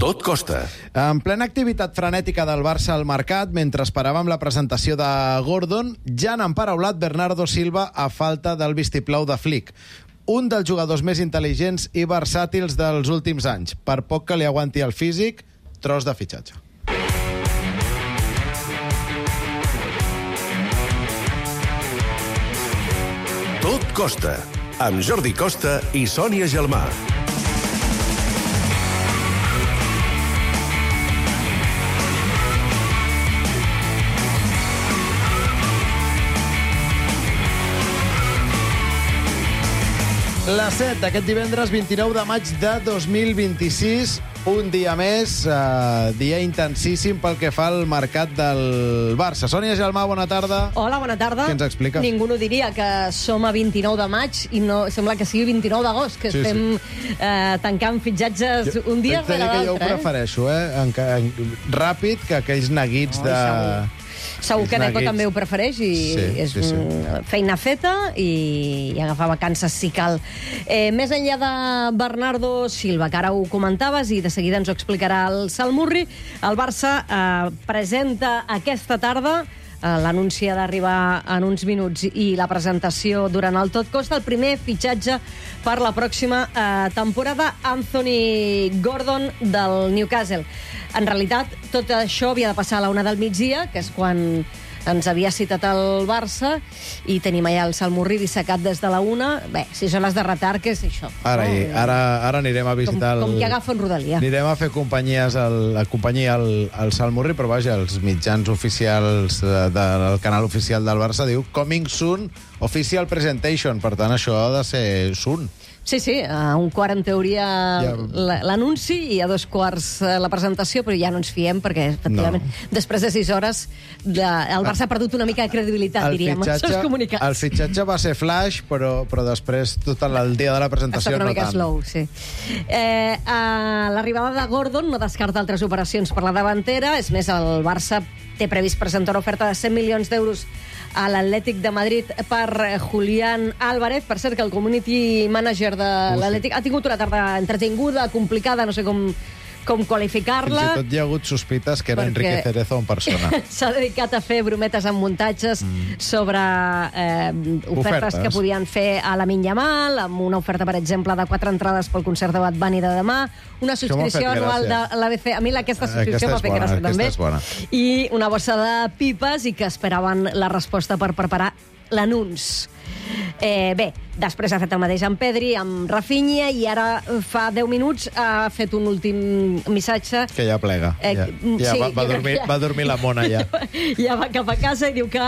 Tot costa. En plena activitat frenètica del Barça al mercat, mentre esperàvem la presentació de Gordon, ja n'han paraulat Bernardo Silva a falta del vistiplau de Flick. Un dels jugadors més intel·ligents i versàtils dels últims anys. Per poc que li aguanti el físic, tros de fitxatge. Tot costa. Amb Jordi Costa i Sònia Gelmà. Les 7 d'aquest divendres 29 de maig de 2026, un dia més, dia intensíssim pel que fa al mercat del Barça. Sònia Gelmà, bona tarda. Hola, bona tarda. Què ens expliques? Ningú no diria que som a 29 de maig i no sembla que sigui 29 d'agost, que estem tancant fitxatges un dia rere l'altre. Jo ho prefereixo, ràpid, que aquells neguits de... Segur que Neco també ho prefereix i és feina feta i agafar vacances si cal. Més enllà de Bernardo Silva, que ara ho comentaves i de seguida ens ho explicarà el Salmurri, el Barça presenta aquesta tarda, l'anunci ha d'arribar en uns minuts i la presentació durant el Tot Costa, el primer fitxatge per la pròxima temporada, Anthony Gordon del Newcastle. En realitat, tot això havia de passar a la 1 del migdia, que és quan ens havia citat el Barça, i tenim allà el Salmurri dissecat des de la 1. Bé, 6 hores de retard, què és això? Ara anirem a visitar... Com que agafa en Rodalia. Anirem a fer companyia al Salmurri, però vaja, els mitjans oficials del canal oficial del Barça diu Coming Soon Official Presentation, per tant, això ha de ser soon. Sí, a 1:15 en teoria l'anunci i a 2:15 la presentació, però ja no ens fiem perquè, efectivament, després de 6 hores el Barça ha perdut una mica de credibilitat, diríem. El fitxatge va ser flash, però després tot el dia de la presentació no tant. Ha estat una mica slow, sí. L'arribada de Gordon no descarta altres operacions per la davantera. És més, el Barça té previst presentar una oferta de 100 milions d'euros a l'Atlètic de Madrid per Julián Álvarez. Per cert, que el community manager de l'Atlètic ha tingut una tarda entretinguda, complicada, no sé com qualificar-la. Fins i tot hi ha hagut sospites que era Enrique Cerezo en persona. S'ha dedicat a fer brometes amb muntatges sobre ofertes que podien fer a la Yamal, amb una oferta, per exemple, de 4 entrades pel concert de Bad Bunny de demà, una subscripció anual de l'ABC. A mi aquesta subscripció m'ha fet gràcia, també. I una bossa de pipes, i que esperaven la resposta per preparar l'anunç. Bé, després ha fet el mateix amb Pedri, amb Rafinha, i ara fa 10 minuts ha fet un últim missatge. Que ja plega. Va dormir la mona, ja. Ja va cap a casa i diu que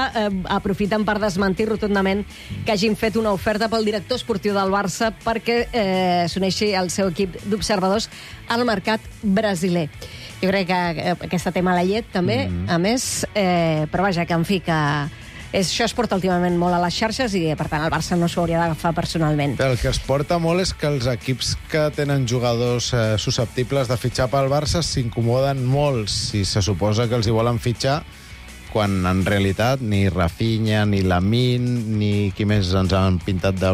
aprofiten per desmentir rotundament que hagin fet una oferta pel director esportiu del Barça perquè s'uneixi al seu equip d'observadors al mercat brasiler. Jo crec que aquesta té mala llet, també, a més, però vaja, que en fi, que això es porta últimament molt a les xarxes i, per tant, el Barça no s'ho hauria d'agafar personalment. El que es porta molt és que els equips que tenen jugadors susceptibles de fitxar pel Barça s'incomoden molt si se suposa que els hi volen fitxar, quan en realitat ni Rafinha, ni Lamine, ni qui més ens han pintat de...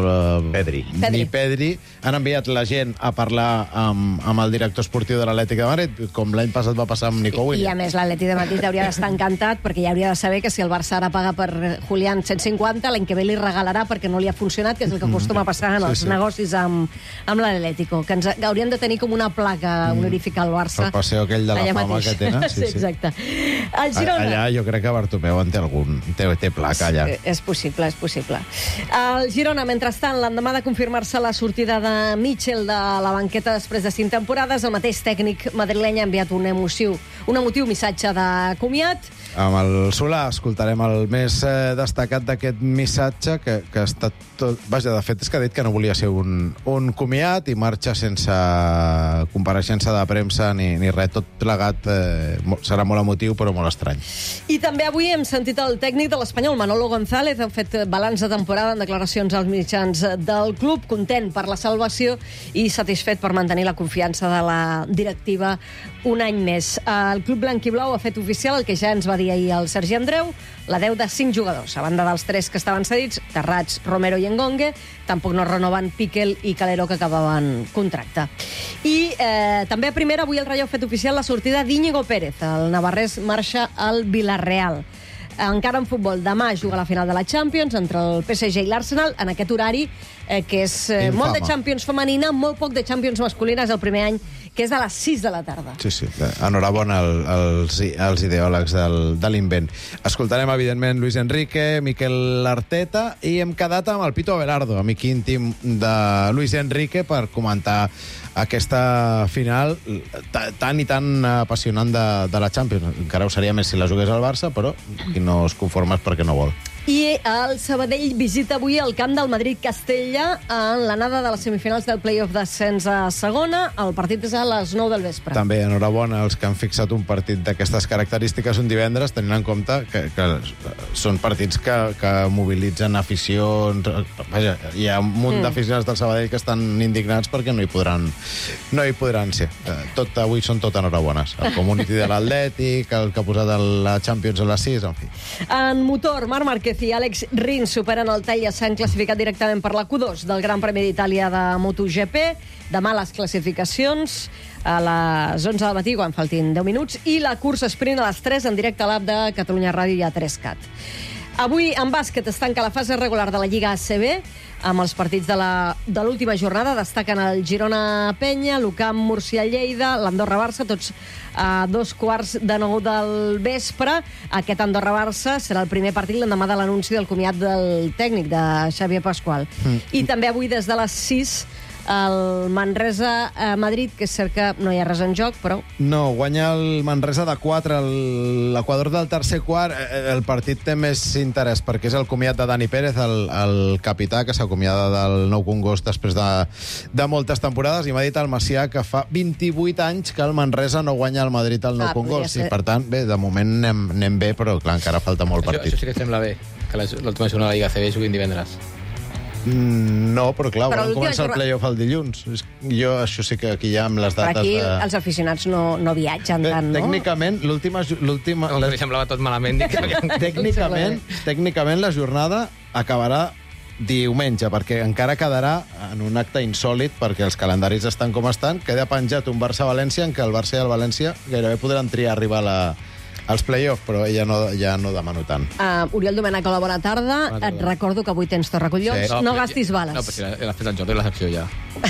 Pedri. Ni Pedri. Han enviat la gent a parlar amb el director esportiu de l'Atlètic de Madrid, com l'any passat va passar amb Nico Williams. I a més, l'Atlètic de Madrid hauria d'estar encantat, perquè ja hauria de saber que si el Barça ara paga per Julián 150, l'any que ve li regalarà perquè no li ha funcionat, que és el que acostuma a passar en els negocis amb l'Atlético, que haurien de tenir com una placa honorífica al Barça. El passeo aquell de la fama que tenen. Sí, exacte. El Girona... Allà jo crec que Bartomeu en té algun... té placa allà. És possible, és possible. El Girona, mentrestant, l'endemà de confirmar-se la sortida de Mitchell de la banqueta després de 5 temporades, el mateix tècnic madrileny ha enviat un emotiu missatge de comiat. Amb el Solà escoltarem el més destacat d'aquest missatge, que ha estat tot... Vaja, de fet, és que ha dit que no volia ser un comiat i marxa sense compareixença de premsa ni res. Tot plegat serà molt emotiu, però molt estrany. I també avui hem sentit el tècnic de l'Espanyol, Manolo González, ha fet balanç de temporada en declaracions als mitjans del club, content per la salvació i satisfet per mantenir la confiança de la directiva un any més. El club blanc i blau ha fet oficial el que ja ens va dir dir ahir el Sergi Andreu, la 10 de 5 jugadors. A banda dels 3 que estaven cedits, Terrats, Romero i Engongue, tampoc no renoven Piquel i Calero, que acabaven contracte. I també a primera, avui el Rayo ha fet oficial la sortida d'Íñigo Pérez. El navarrès marxa al Villarreal. Encara en futbol, demà juga la final de la Champions entre el PSG i l'Arsenal, en aquest horari que és molt de Champions femenina, molt poc de Champions masculina, és el primer any que és a les 6 de la tarda. Sí. Enhorabona als ideòlegs de l'invent. Escoltarem, evidentment, Luis Enrique, Mikel Arteta, i hem quedat amb el Pito Abelardo, amic íntim de Luis Enrique, per comentar aquesta final tan i tan apassionant de la Champions. Encara ho seria més si la jugués al Barça, però qui no es conforma és perquè no vol. I el Sabadell visita avui el camp del Madrid-Castella en l'anada de les semifinals del play-off d'ascens a segona. El partit és a les 9 del vespre. També, enhorabona als que han fixat un partit d'aquestes característiques un divendres, tenint en compte que són partits que mobilitzen aficions. Vaja, hi ha un munt d'aficionats del Sabadell que estan indignats perquè no hi podran ser. Avui són tot enhorabones. El community de l'Atlètic, el que ha posat la Champions a les 6, en fi. En motor, Marc Márquez i Àlex Rins superen el tall i s'han classificat directament per la Q2 del Gran Premi d'Itàlia de MotoGP. Demà les classificacions a les 11 del matí, quan faltin 10 minuts, i la cursa sprint a les 3 en directe a l'app de Catalunya Ràdio i a 3CAT. Avui, en bàsquet, es tanca la fase regular de la Lliga ACB, amb els partits de l'última jornada. Destaquen el Girona-Penya, l'UCAM Murcia-Lleida, l'Andorra-Barça, tots a 2:15 del vespre. Aquest Andorra-Barça serà el primer partit l'endemà de l'anunci del comiat del tècnic, de Xavier Pascual. I també avui, des de les 6, el Manresa-Madrid, que és cert que no hi ha res en joc, però... No, guanya el Manresa de 4, l'Equador del tercer quart. El partit té més interès perquè és el comiat de Dani Pérez, el capità, que s'acomiada del Nou Congost després de moltes temporades, i m'ha dit el Macià que fa 28 anys que el Manresa no guanya al Madrid al Nou Congost. I, per tant, bé, de moment anem bé, però clar, encara falta molt partit. Això sí que sembla bé, que l'última jornada de la Lliga ACB juguin divendres. No, però clar, volen començar el play-off el dilluns. Jo, això sí que aquí ja amb les dates... Per aquí els aficionats no viatgen tant, no? Tècnicament, l'última... Li semblava tot malament. Tècnicament, la jornada acabarà diumenge, perquè encara quedarà en un acte insòlit, perquè els calendaris estan com estan. Queda penjat un Barça-València, en què el Barça i el València gairebé podran triar arribar als play-off, però ja no demano tant. Oriol Domènec, hola, bona tarda. Et recordo que avui tens Torracollons. Sí. No gastis bales. No, però si l'ha fet el Jordi la secció ja.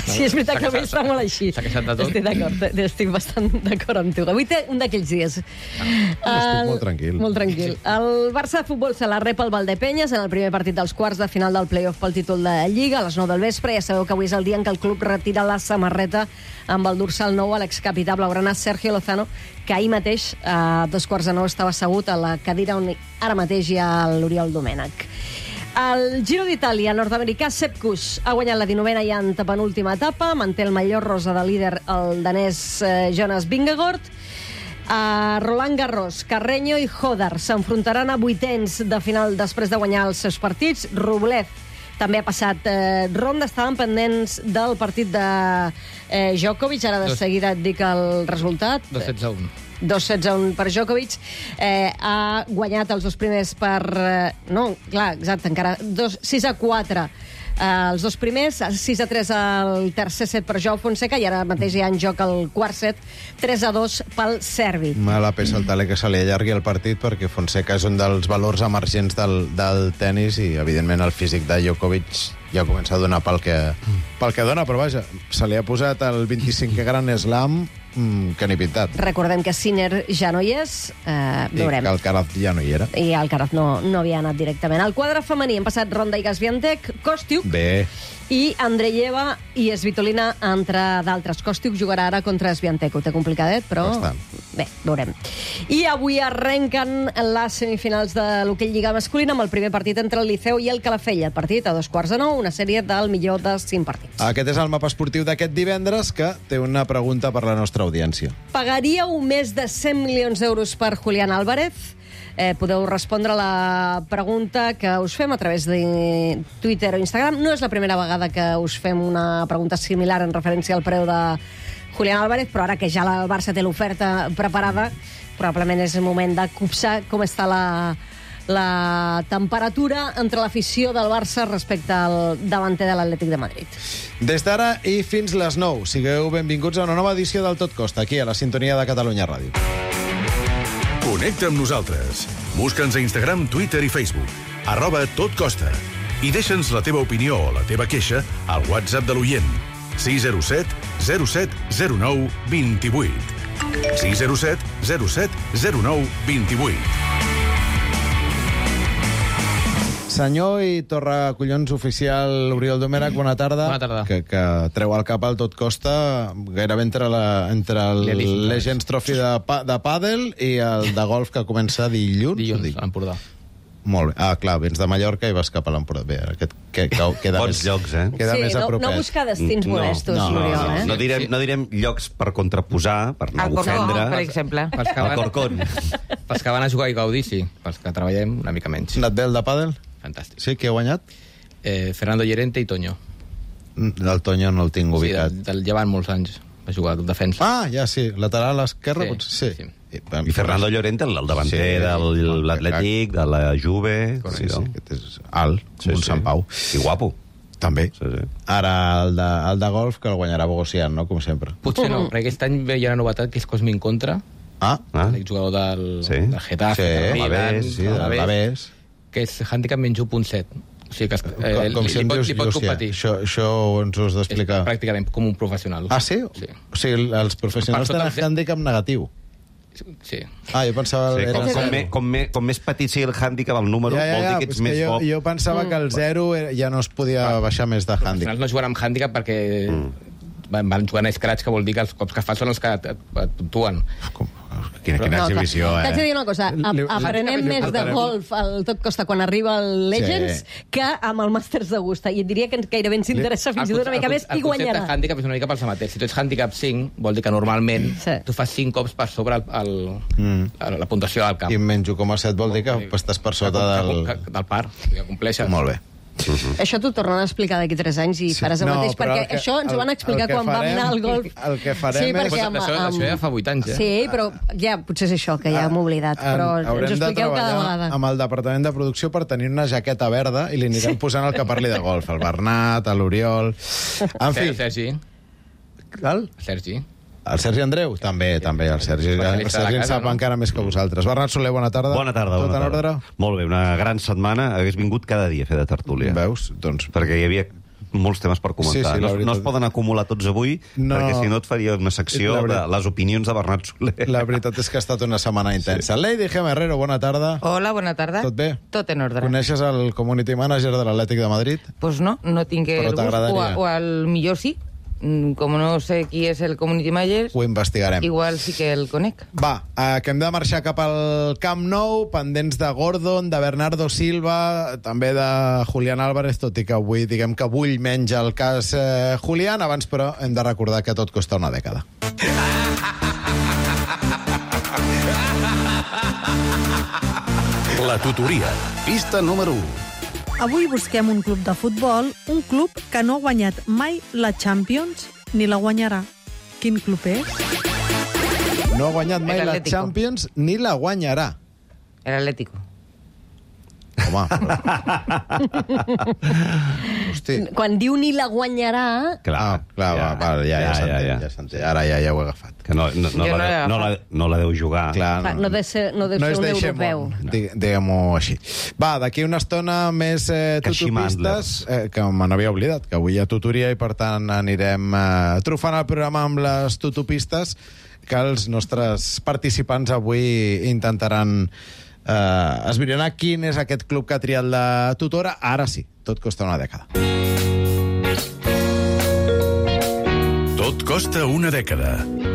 Sí, és veritat que avui està molt així. S'ha queixat de tot. Estic d'acord, estic bastant d'acord amb tu. Avui té un d'aquells dies. Estic molt tranquil. Molt tranquil. El Barça de futbol se la rep al Valdepenyes en el primer partit dels quarts de final del play-off pel títol de Lliga a les 9 del vespre. Ja sabeu que avui és el dia en què el club retira la samarreta amb el dorsal nou a l'excapità blaugrana Sergio Lozano, que ahir mateix, a 8:45, estava assegut a la cadira on ara mateix hi ha l'Oriol Domènec. El Giro d'Itàlia, nord-americà Sepp Kuss ha guanyat la 19a i antepenúltima etapa, manté el mallot rosa de líder el danès Jonas Vingegaard. A Roland Garros, Carreño i Hodar s'enfrontaran a vuitens de final després de guanyar els seus partits. Rublev també ha passat ronda, estaven pendents del partit de Djokovic, ara de seguida et dic el resultat. 2-16-1. 2-16-1 per Djokovic. Ha guanyat els dos primers per... No, clar, exacte, encara 6-4 els dos primers, 6-3 el tercer set per Joao Fonseca, i ara mateix hi ha en joc el quart set, 3-2 pel serbi. Mala peça el taler que se li allargui el partit, perquè Fonseca és un dels valors emergents del tennis, i evidentment el físic de Djokovic ja comença a donar pel que dona, però vaja, se li ha posat el 25è Gran Slam que ni pintat. Recordem que Sinner ja no hi és, veurem. I que Alcaraz ja no hi era. I Alcaraz no havia anat directament. Al quadre femení han passat Ronda i Gasviantec, Kostiuk Bé. i Andreyeva i Svitolina, entre d'altres. Kostiuk jugarà ara contra Sviantec. Ho té complicadet, però... Bastant. Bé, veurem. I avui arrenquen les semifinals de l'hoquei Lliga masculina amb el primer partit entre el Liceu i el Calafell. El partit a 8:45, una sèrie del millor de 5 partits. Aquest és el mapa esportiu d'aquest divendres, que té una pregunta per la nostra audiència. Pagaríeu més de 100 milions d'euros per Julián Álvarez? Podeu respondre a la pregunta que us fem a través de Twitter o Instagram. No és la primera vegada que us fem una pregunta similar en referència al preu de Julián Álvarez, però ara que ja el Barça té l'oferta preparada, probablement és el moment de copsar com està la temperatura entre l'afició del Barça respecte al davanter de l'Atlètic de Madrid. Des d'ara i fins les 9, sigueu benvinguts a una nova edició del Tot Costa, aquí a la sintonia de Catalunya Ràdio. Connecta amb nosaltres. Busca'ns a Instagram, Twitter i Facebook. @totcosta. I deixa'ns la teva opinió o la teva queixa al WhatsApp de l'oient. 607 07 09 28. 607 07 09 28. Senyor i torracollons oficial Oriol Domènech, bona tarda. Bona tarda. Que treu el cap al Tot Costa gairebé entre el Legends Trophy de pàdel i el de golf que comença dilluns. Dilluns, a l'Empordà. Molt bé. Ah, clar, vens de Mallorca i vas cap a l'Empordà. Bé, queda Bons més, llocs, queda més a propet. No buscar destins molestos, Oriol, No direm llocs per contraposar, per no ofendre. Per exemple. El Corcón. Pels que van a jugar i gaudir, sí. Pels que treballem, una mica menys. Anat bé el de pàdel? Fantàstic. Sí, qui ha guanyat? Fernando Llorente i Toño. El Toño no el tinc Sí, ubicat. del llevant molts anys. Va jugar de defensa. Ah, ja sí, lateral a l'esquerra, Sí, potser sí. sí. I Fernando Llorente, el davanter de l'Atlètic, de la Juve. Sí, aquest és alt, un Sant Pau. I guapo. També. Sí. Ara el de golf, que el guanyarà Bogosian, no? Com sempre. Potser no, perquè aquest any hi ha una novetat que és Cosmin Contra, Ah, l'exjugador del Getafe, sí, del l'Alavés, sí, de l'Alavés. que és handicap menys 1.7. O sigui que Com si em dius, li pot competir. això ens ho has És d'explicar. pràcticament com un professional. Ah, sí? Sí. O sigui, els professionals Per sota tenen handicap negatiu. Sí. Ah, jo pensava... Sí, era com més petit sigui el hàndicap, el número, vol dir que ets més bo. jo pensava que el 0 ja no es podia baixar més de Al hàndicap. final no juguen amb hàndicap perquè van jugant a scratch, que vol dir que els cops que fas són els que et puntuen. Quina exhibició, T'haig de dir una cosa, aprenem més de golf al Tot Costa quan arriba el Legends que amb el Masters d'Augusta, i et diria que gairebé ens interessa fins i tot una mica més qui El concepte guanyarà. de hàndicap és una mica pels amateurs. Si tu ets hàndicap 5, vol dir que normalment tu fas 5 cops per sobre la puntuació del camp. I menys 1,7 vol dir que estàs per sota del par, que compleixes. Molt bé. Això t'ho tornen a explicar d'aquí 3 anys i faràs el mateix, perquè això ens ho van explicar quan vam anar al golf. El que farem és... Això ja fa 8 anys, Sí, però ja potser és això, que ja hem oblidat, però ens ho expliqueu cada vegada. Amb el departament de producció per tenir una jaqueta verda i li anirem posant el que parli de golf, el Bernat, l'Oriol... En fi... Sergi. Sergi. El Sergi Andreu? També, el Sergi. El Sergi en sap encara més que vosaltres. Bernat Soler, bona tarda. Bona tarda. Tot en ordre? Molt bé, una gran setmana. Hagués vingut cada dia a fer de tertúlia. Veus? Doncs... Perquè hi havia molts temes per comentar. No es poden acumular tots avui, perquè si no et faria una secció de les opinions de Bernat Soler. La veritat és que ha estat una setmana intensa. Lady Gem Herrero, bona tarda. Hola, bona tarda. Tot bé? Tot en ordre. Coneixes el community manager de l'Atlètic de Madrid? Pues no tinc el gust, o al millor sí. Com no sé qui és el community manager, ho investigarem. Igual sí que el conec. Va, que hem de marxar cap al Camp Nou, pendents de Gordon, de Bernardo Silva, també de Julián Álvarez, tot i que avui diguem que vull menys el cas Julián. Abans, però, hem de recordar que tot costa una dècada. La tutoria. Pista número 1. Avui busquem un club de futbol, un club que no ha guanyat mai la Champions ni la guanyarà. Quin club és? No ha guanyat mai la Champions ni la guanyarà. El Atlético. Home, però... Hosti. Quan diu ni la guanyarà... Clar, ja s'entén. Ara ja ho he agafat. Que no la deu jugar. Clar, no deu ser un europeu. Diguem-ho així. Va, d'aquí una estona més tutopistes, que me n'havia oblidat, que avui hi ha tutoria i per tant anirem trufant el programa amb les tutopistes que els nostres participants avui intentaran esbrinar quin és aquest club que ha triat la tutora. Ara sí, tot costa una dècada. Tot costa una dècada.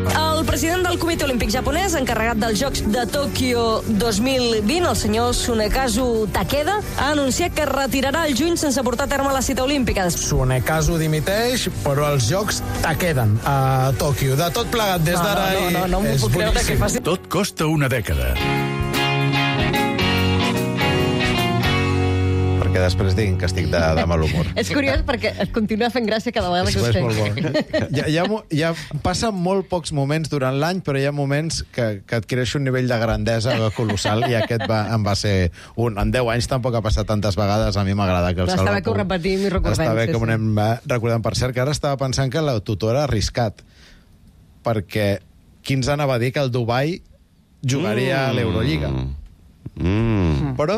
El president del Comitè Olímpic japonès, encarregat dels Jocs de Tòquio 2020, el senyor Tsunekazu Takeda, ha anunciat que es retirarà el juny sense portar a terme la cita olímpica. Tsunekazu dimiteix, però els Jocs queden a Tòquio. De tot plegat, des d'ara... No m'ho puc creure que faci... Tot costa una dècada. perquè després diguin que estic de mal humor. És curiós perquè et continua fent gràcia cada vegada que ho És molt bo. Ja passen molt pocs moments durant l'any, però hi ha moments que adquireix un nivell de grandesa colossal, i aquest em va ser un. En 10 anys tampoc ha passat tantes vegades, a mi m'agrada que el Salva... Està bé que ho repetim i recordem. Està bé que ho anem recordant. Per cert, que ara estava pensant que la tutora ha arriscat, perquè qui ens anava a dir que el Dubai jugaria a l'Eurolliga? Però,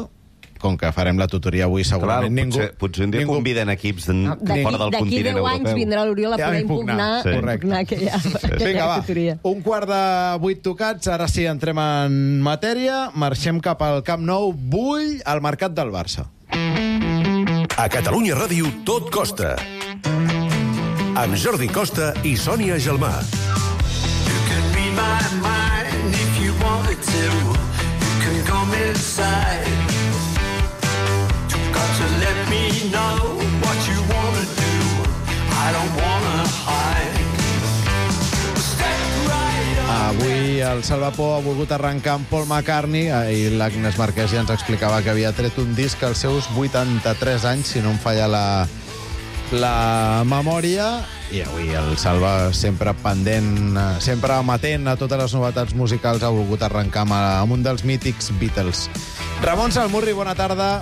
com que farem la tutoria avui, segurament ningú... Potser un dia conviden equips fora del continent europeu. D'aquí 10 anys vindrà l'Oriol a poder impugnar aquella tutoria. 7:45 tocats, ara sí, entrem en matèria, marxem cap al Camp Nou, vull al mercat del Barça. A Catalunya Ràdio tot costa. Amb Jordi Costa i Sònia Gelmà. You can be my mind if you wanted to. You can come inside. You've got to let me know what you want to do. I don't want to hide. Step right up. Avui el Salvapó ha volgut arrencar amb Paul McCartney, i l'Agnès Marquès ja ens explicava que havia tret un disc als seus 83 anys, si no em falla la memòria, i avui el Salva, sempre pendent, sempre amatent a totes les novetats musicals, ha volgut arrencar amb un dels mítics Beatles. Ramon Salmurri, bona tarda.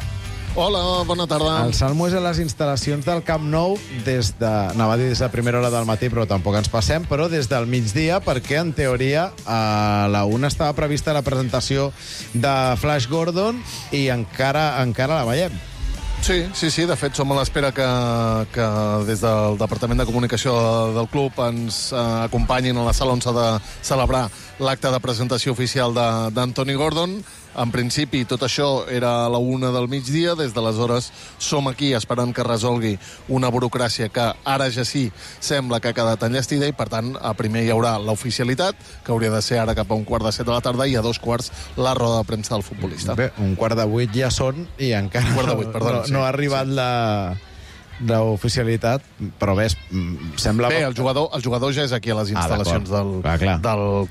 Hola, bona tarda. El Salmo és a les instal·lacions del Camp Nou anava a dir des de primera hora del matí, però tampoc ens passem, però des del migdia, perquè en teoria a la 1 estava prevista la presentació de Flash Gordon i encara la veiem. Sí, de fet som a l'espera que des del Departament de Comunicació del club ens acompanyin a la sala on s'ha de celebrar l'acte de presentació oficial d'Anthony Gordon. En principi, tot això era a la 1 del migdia. Des d'aleshores som aquí esperant que resolgui una burocràcia que ara ja sí sembla que ha quedat enllestida, i per tant, primer hi haurà l'oficialitat, que hauria de ser ara cap a 7:15 de la tarda, i a 2:15 la roda de premsa del futbolista. Bé, 7:15 ja són i encara no ha arribat l'oficialitat, però bé, sembla... Bé, el jugador ja és aquí a les instal·lacions del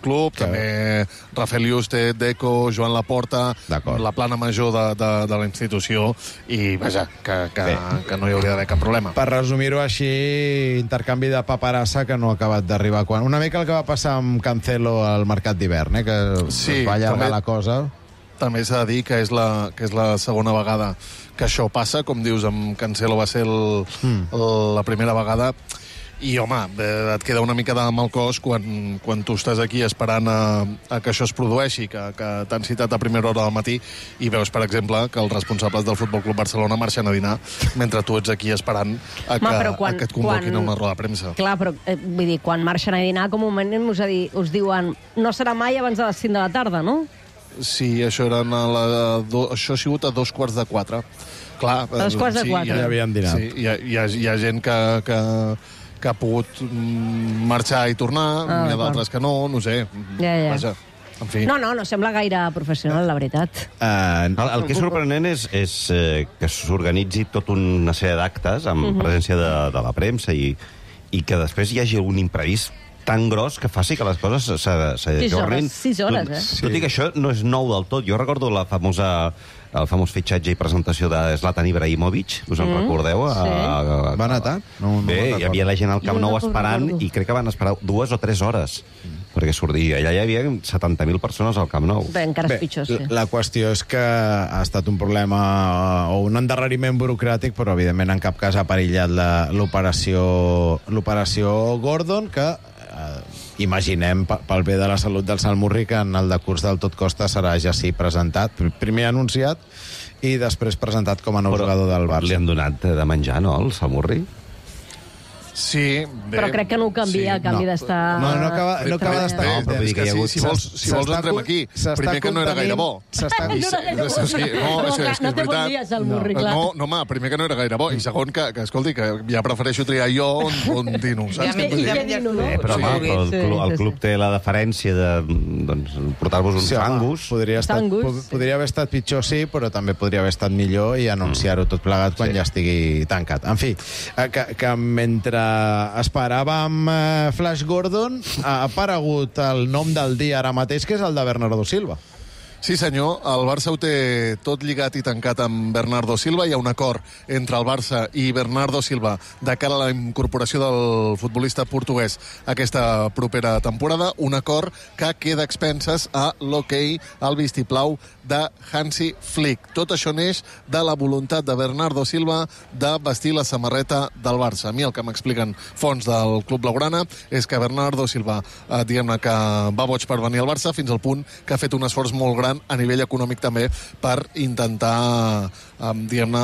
club, també Rafael Yuste, Deco, Joan Laporta, la plana major de la institució, i vaja, que no hi hauria d'haver cap problema. Per resumir-ho així, intercanvi de paperassa que no ha acabat d'arribar. Una mica el que va passar amb Cancelo al mercat d'hivern, que es va allargar la cosa. També s'ha de dir que és la segona vegada que això passa. Com dius, amb Cancelo va ser la primera vegada, i, home, et queda una mica de mal cos quan tu estàs aquí esperant a que això es produeixi, que t'han citat a primera hora del matí, i veus, per exemple, que els responsables del Futbol Club Barcelona marxen a dinar mentre tu ets aquí esperant a que et convoquin a una roda de premsa. Clar, però vull dir, quan marxen a dinar, com un moment us diuen no serà mai abans de les 5 de la tarda, no? Sí, això ha sigut a 3:45. Clar, a 3:45. Ja havien dinat. Sí, hi ha gent que ha pogut marxar i tornar, hi ha d'altres que no sé. Vaja, en fi. No sembla gaire professional, la veritat. El que és sorprenent és que s'organitzi tota una sèrie d'actes amb presència de la premsa, i que després hi hagi un imprevist tan gros que faci que les coses s'ajornin. 6 hores, Tot i que això no és nou del tot. Jo recordo el famós fitxatge i presentació de Zlatan Ibrahimovic, us en recordeu? Sí. Va anar tard? Bé, hi havia la gent al Camp Nou esperant, i crec que van esperar 2 o 3 hores perquè sortia. Allà hi havia 70.000 persones al Camp Nou. Bé, encara és pitjor, sí. La qüestió és que ha estat un problema o un endarreriment burocràtic, però evidentment en cap cas ha perillat l'operació Gordon, que imaginem, pel bé de la salut del Salmurri, que en el decurs del Tot Costa serà ja sí presentat, primer anunciat i després presentat com a nou jugador del Barça. Li han donat de menjar, no, al Salmurri? Sí, bé. Però crec que no ho canvia a canvi d'estar... No acaba d'estar... No, però si vols entrem aquí. Primer que no era gaire bo. No té bon dia, Salmurri, clar. No, home, primer que no era gaire bo. I segon, que escolti, que ja prefereixo triar jo on dino, saps? Però el club té la deferència de portar-vos uns fangus. Podria haver estat pitjor, sí, però també podria haver estat millor i anunciar-ho tot plegat quan ja estigui tancat. En fi, que mentre esperàvem Flash Gordon, ha aparegut el nom del dia ara mateix, que és el de Bernardo Silva. Sí, senyor. El Barça ho té tot lligat i tancat amb Bernardo Silva. Hi ha un acord entre el Barça i Bernardo Silva de cara a la incorporació del futbolista portuguès aquesta propera temporada. Un acord que queda a expenses a l'hoquei al vistiplau de Hansi Flick. Tot això neix de la voluntat de Bernardo Silva de vestir la samarreta del Barça. A mi el que m'expliquen fonts del Club Blaugrana és que Bernardo Silva, diguem-ne que va boig per venir al Barça fins al punt que ha fet un esforç molt gran a nivell econòmic també per intentar diguem-ne,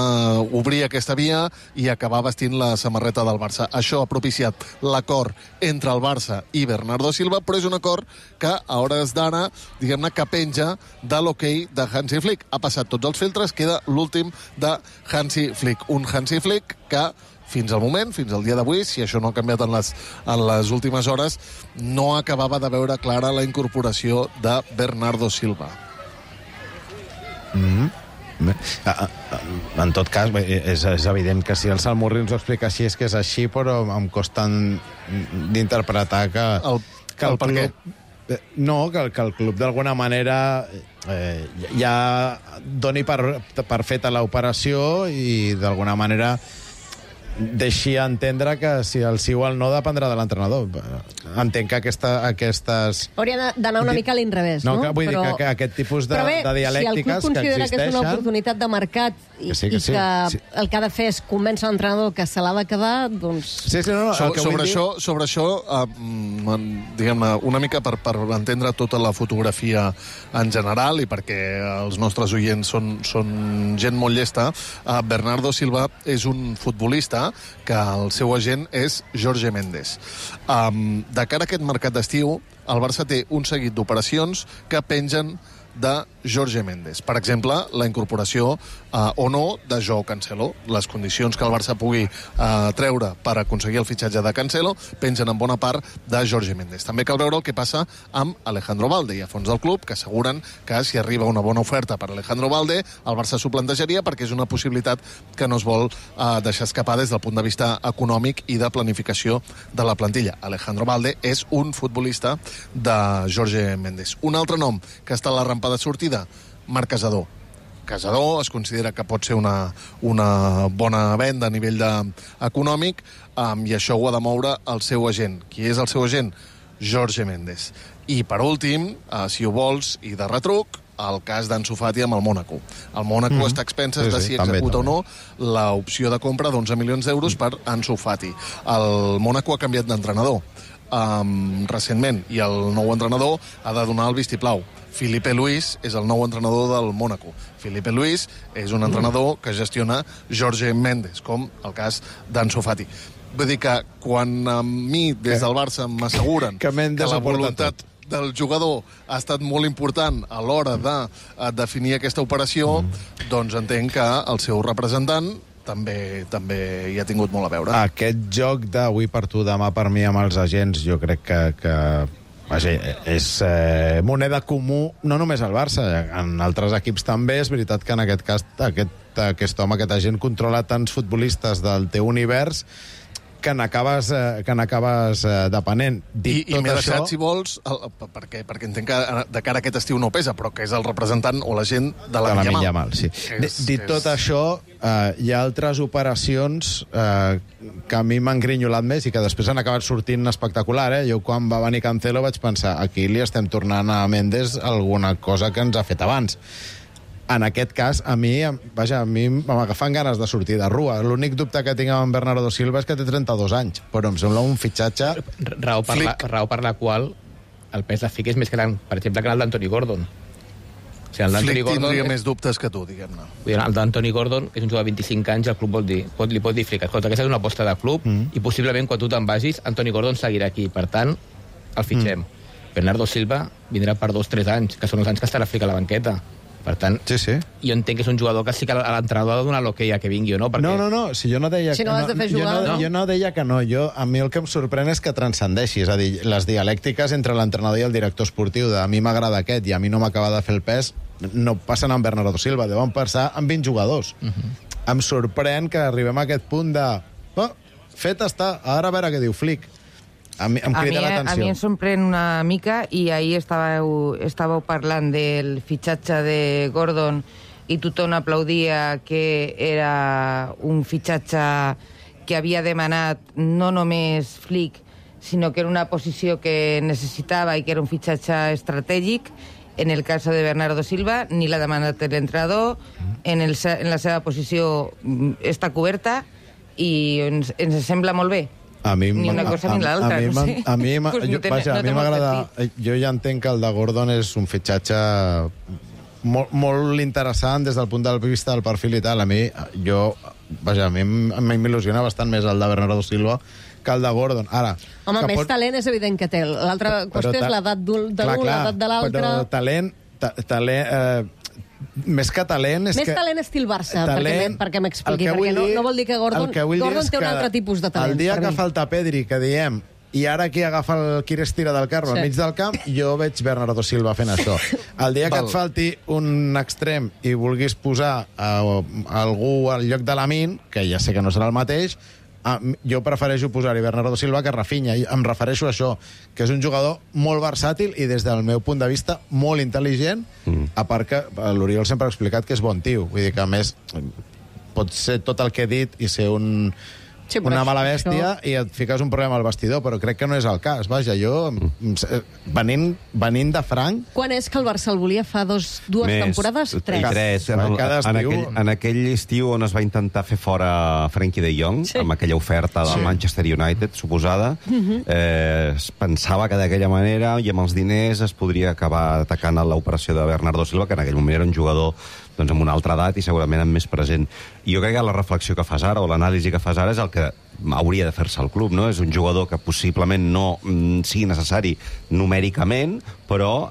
obrir aquesta via i acabar vestint la samarreta del Barça. Això ha propiciat l'acord entre el Barça i Bernardo Silva, però és un acord que a hores d'ara, diguem-ne, que penja de l'hoquei de Hansi Flick. Ha passat tots els filtres, queda l'últim de Hansi Flick. Un Hansi Flick que fins al moment, fins al dia d'avui, si això no ha canviat en les últimes hores, no acabava de veure clara la incorporació de Bernardo Silva. En tot cas, és evident que si el Salmurri ens ho explica així és que és així, però em costa d'interpretar que el club... No, que el club d'alguna manera ja doni per feta l'operació i d'alguna manera deixi entendre que si el sí o el no dependrà de l'entrenador. Entenc que aquestes... Hauria d'anar una mica a l'inrevés, no? Vull dir que aquest tipus de dialèctiques que existeixen... si el club considera que és una oportunitat de mercat i que el que ha de fer és convèncer l'entrenador que se l'ha de quedar, doncs... Sobre això, diguem-ne, una mica per entendre tota la fotografia en general i perquè els nostres oients són gent molt llesta, Bernardo Silva és un futbolista que el seu agent és Jorge Mendes. De cara a aquest mercat d'estiu, el Barça té un seguit d'operacions que pengen de Jorge Mendes. Per exemple, la incorporació o no de Joao Cancelo. Les condicions que el Barça pugui treure per aconseguir el fitxatge de Cancelo pengen en bona part de Jorge Mendes. També cal veure el que passa amb Alejandro Balde. Hi ha fons del club que asseguren que si arriba una bona oferta per Alejandro Balde, el Barça s'ho plantejaria perquè és una possibilitat que no es vol deixar escapar des del punt de vista econòmic i de planificació de la plantilla. Alejandro Balde és un futbolista de Jorge Mendes. Un altre nom que està a la rampa de sortida, Marc Casador. Casador es considera que pot ser una bona venda a nivell econòmic i això ho ha de moure el seu agent. Qui és el seu agent? Jorge Mendes. I per últim, si ho vols, i de retruc, el cas d'Ansu Fati amb el Mònaco. El Mònaco està a expenses de si executa o no l'opció de compra d'11 milions d'euros per Ansu Fati. El Mònaco ha canviat d'entrenador recentment i el nou entrenador ha de donar el vistiplau. Filipe Luis és el nou entrenador del Mònaco. Filipe Luis és un entrenador que gestiona Jorge Mendes, com el cas d'Ansu Fati. Vull dir que quan a mi des del Barça m'asseguren que la voluntat del jugador ha estat molt important a l'hora de definir aquesta operació, doncs entenc que el seu representant també hi ha tingut molt a veure. Aquest joc d'avui per tu, demà per mi amb els agents, jo crec que és moneda comú, no només al Barça, en altres equips també. És veritat que en aquest cas aquest home, aquest agent, controla tants futbolistes del teu univers que n'acabes depenent. I m'he deixat, si vols, perquè entenc que de cara a aquest estiu no pesa, però que és el representant o l'agent de la Yamal. Sí. Dit tot això, hi ha altres operacions que a mi m'han grinyolat més i que després han acabat sortint espectacular. Jo, quan va venir Cancelo, vaig pensar, aquí li estem tornant a Mendes alguna cosa que ens ha fet abans. En aquest cas, a mi m'agafen ganes de sortir de rua. L'únic dubte que tinc amb Bernardo Silva és que té 32 anys, però em sembla un fitxatge... Raó per la qual el pes de Flick és més gran, per exemple, que el d'Anthony Gordon. O sigui, Flick tindria més dubtes que tu, diguem-ne. El d'Anthony Gordon és un jugador de 25 anys, el club li pot dir Flick, escolta, aquesta és una aposta de club i possiblement quan tu te'n vagis, Anthony Gordon seguirà aquí. Per tant, el fitxem. Bernardo Silva vindrà per 2-3 anys, que són els anys que estarà Flick a la banqueta. Per tant, jo entenc que és un jugador que sí que l'entrenador ha de donar l'hoquei a que vingui o no. Perquè... No, si jo no deia si no has de fer jugar, jo no deia que no. A mi el que em sorprèn és que transcendeixi, és a dir, les dialèctiques entre l'entrenador i el director esportiu, a mi m'agrada aquest i a mi no m'acaba de fer el pes, no passen amb Bernardo Silva, deuen passar amb 20 jugadors. Em sorprèn que arribem a aquest punt de... fet està, ara a veure què diu Flick. em crida l'atenció. A mi em sorprèn una mica, i ahir estàveu parlant del fitxatge de Gordon i tothom aplaudia que era un fitxatge que havia demanat no només Flick, sinó que era una posició que necessitava i que era un fitxatge estratègic. En el cas de Bernardo Silva, ni l'ha demanat l'entrenador, en la seva posició està coberta i ens sembla molt bé. Ni una cosa ni l'altra, no sé. A mi m'agrada... Jo ja entenc que el de Gordon és un fitxatge molt interessant des del punt de vista del perfil i tal. A mi m'il·lusiona bastant més el de Bernardo Silva que el de Gordon. Ara, home, més talent és evident que té. L'altra qüestió és l'edat de l'un, l'edat de l'altre. Però talent... Més que talent... Més talent estil Barça, perquè m'expliqui, perquè no vol dir que Gordon té un altre tipus de talent. El dia que falta Pedri, que diem, i ara qui agafa el qui estira del carro al mig del camp, jo veig Bernardo Silva fent això. El dia que et falti un extrem i vulguis posar algú al lloc de Lamine, que ja sé que no serà el mateix, jo prefereixo posar-hi Bernardo Silva que Rafinha, i em refereixo a això, que és un jugador molt versàtil i des del meu punt de vista molt intel·ligent, a part que l'Oriol sempre ha explicat que és bon tio, vull dir que a més pot ser tot el que he dit i ser una mala bèstia i et fiques un problema al vestidor, però crec que no és el cas. Vaja, jo, venint de franc... Quan és que el Barça el volia? Fa dues temporades? Tres. En aquell estiu on es va intentar fer fora Frenkie de Jong, amb aquella oferta del Manchester United, suposada, es pensava que d'aquella manera i amb els diners es podria acabar atacant l'operació de Bernardo Silva, que en aquell moment era un jugador amb una altra edat i segurament amb més present. I jo crec que la reflexió que fas ara, o l'anàlisi que fas ara, és el que hauria de fer-se al club, no? És un jugador que possiblement no sigui necessari numèricament, però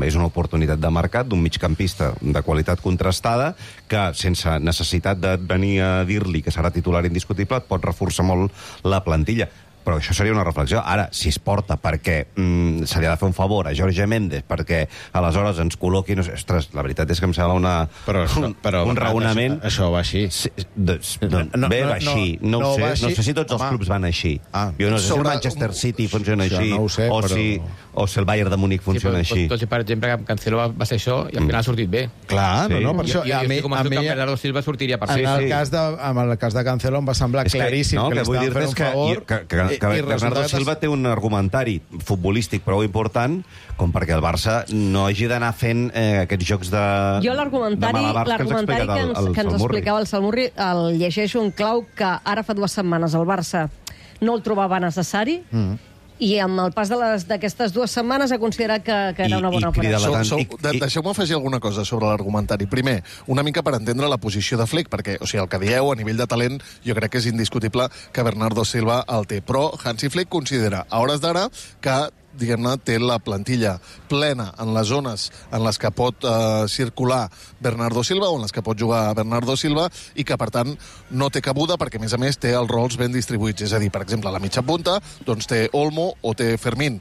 és una oportunitat de mercat d'un migcampista de qualitat contrastada que, sense necessitat de venir a dir-li que serà titular indiscutible, et pot reforçar molt la plantilla. Però això seria una reflexió. Ara, si es porta perquè se li ha de fer un favor a Jorge Méndez perquè aleshores ens col·loqui... Ostres, la veritat és que em sembla un raonament... Això va així. Bé, va així. No sé si tots els clubs van així. Jo no sé si el Manchester City funciona així o si el Bayern de Múnich funciona així. Tot i, per exemple, que Cancelo va ser això i al final ha sortit bé. Clar, no, per això... I estic convençut que Bernardo Silva sortiria per ser. En el cas de Cancelo em va semblar claríssim que li estaven fent un favor... Que Bernardo Silva té un argumentari futbolístic prou important com perquè el Barça no hagi d'anar fent aquests jocs de Jo l'argumentari que ens explicava el Salmurri el llegeixo en clau que ara fa 2 setmanes el Barça no el trobava necessari i amb el pas d'aquestes 2 setmanes ha considerat que era una bona operació. Deixeu-me afegir alguna cosa sobre l'argumentari. Primer, una mica per entendre la posició de Flick, perquè el que dieu a nivell de talent jo crec que és indiscutible que Bernardo Silva el té, però Hansi Flick considera a hores d'ara que diguem-ne, té la plantilla plena en les zones en les que pot circular Bernardo Silva o en les que pot jugar Bernardo Silva i que, per tant, no té cabuda perquè, a més a més, té els rols ben distribuïts. És a dir, per exemple, a la mitja punta doncs té Olmo o té Fermín.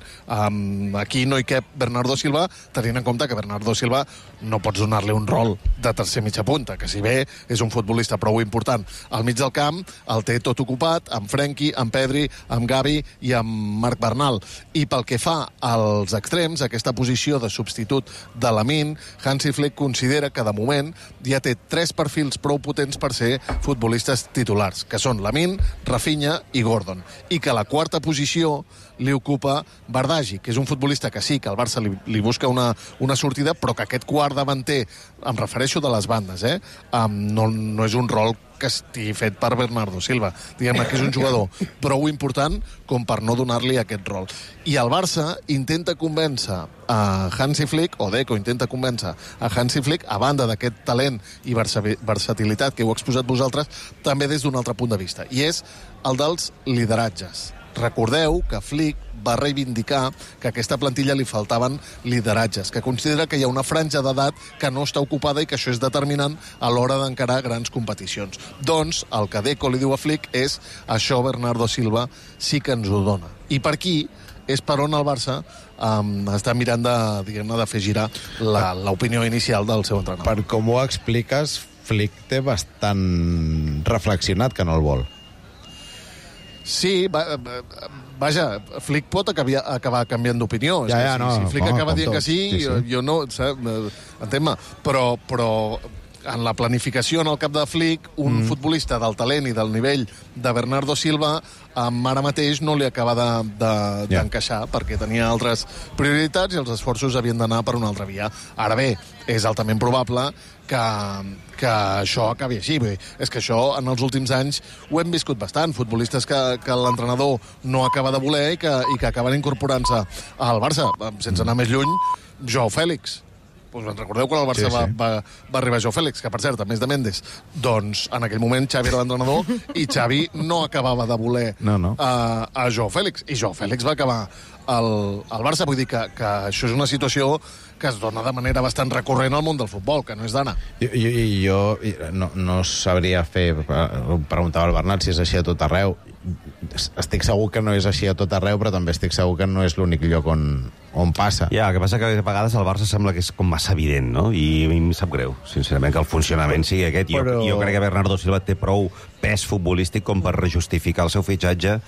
Aquí no hi cap Bernardo Silva, tenint en compte que Bernardo Silva no pots donar-li un rol de tercer mitja punta, que si bé és un futbolista prou important. Al mig del camp el té tot ocupat amb Frenkie, amb Pedri, amb Gavi i amb Marc Bernal. I pel que fa als extrems, aquesta posició de substitut de Lamine, Hansi Flick considera que de moment ja té 3 perfils prou potents per ser futbolistes titulars, que són Lamine, Rafinha i Gordon, i que la 4ª posició li ocupa Bardghji, que és un futbolista que sí, que el Barça li busca una sortida, però que aquest quart davanter, em refereixo de les bandes, no és un rol que estigui fet per Bernardo Silva. Diguem-ne que és un jugador prou important com per no donar-li aquest rol. I el Barça intenta convèncer a Hansi Flick, o Deco intenta convèncer a Hansi Flick, a banda d'aquest talent i versatilitat que heu exposat vosaltres, també des d'un altre punt de vista, i és el dels lideratges. Recordeu que Flick va reivindicar que a aquesta plantilla li faltaven lideratges, que considera que hi ha una franja d'edat que no està ocupada i que això és determinant a l'hora d'encarar grans competicions. Doncs el que Deco li diu a Flick és això Bernardo Silva sí que ens ho dona. I per aquí és per on el Barça està mirant de fer girar l'opinió inicial del seu entrenador. Per com ho expliques, Flick té bastant reflexionat que no el vol. Sí, vaja, Flick pot acabar canviant d'opinió. Si Flick acaba dient que sí, jo no... Entén-me, però en la planificació en el cap de Flick, un futbolista del talent i del nivell de Bernardo Silva ara mateix no li acaba d'encaixar perquè tenia altres prioritats i els esforços havien d'anar per una altra via. Ara bé, és altament probable que això acabi així. És que això en els últims anys ho hem viscut bastant. Futbolistes que l'entrenador no acaba de voler i que acaben incorporant-se al Barça. Sense anar més lluny, Joao Fèlix. Recordeu quan el Barça va arribar Joao Fèlix, que per cert, a més de Méndez, doncs en aquell moment Xavi era l'entrenador i Xavi no acabava de voler a Joao Fèlix. I Joao Fèlix va acabar al Barça. Vull dir que això és una situació que es dona de manera bastant recurrent al món del futbol, que no és d'Anna. Jo no sabria preguntava al Bernat si és així a tot arreu. Estic segur que no és així a tot arreu, però també estic segur que no és l'únic lloc on passa. Ja, el que passa que a vegades el Barça sembla que és com massa evident, no? I a mi em sap greu, sincerament, que el funcionament sigui aquest. Jo crec que Bernardo Silva té prou pes futbolístic com per justificar el seu fitxatge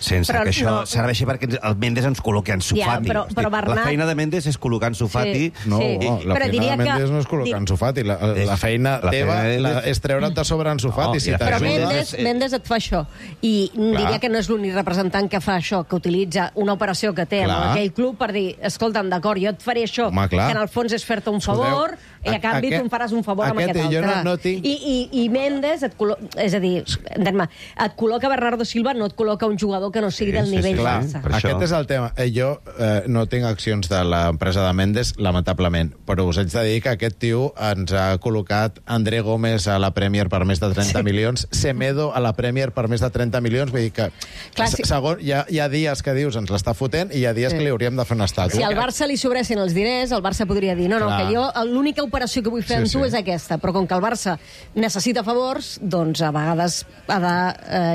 sense que això serveixi perquè el Méndez ens col·loqui Ansu Fati. La feina de Méndez és col·locar Ansu Fati. No, la feina de Méndez no és col·locar Ansu Fati. La feina teva és treure't de sobre Ansu Fati. Però Méndez et fa això. I diria que no és l'únic representant que fa això, que utilitza una operació que té amb aquell club per dir, escolta'm, d'acord, jo et faré això, que en el fons és fer-te un favor, i a canvi tu em faràs un favor amb aquest altre. I Méndez, és a dir, et col·loca Bernardo Silva, no et col·loca un jugador que no sigui del nivell Barça. Aquest és el tema. Jo no tinc accions de l'empresa de Méndez, lamentablement, però us haig de dir que aquest tio ens ha col·locat André Gómez a la Premier per més de 30 milions, Semedo a la Premier per més de 30 milions, vull dir que hi ha dies que dius ens l'està fotent i hi ha dies que li hauríem de fer una estàtua. Si al Barça li sobressin els diners, el Barça podria dir, no, que jo l'única operació que vull fer amb tu és aquesta, però com que el Barça necessita favors, doncs a vegades ha de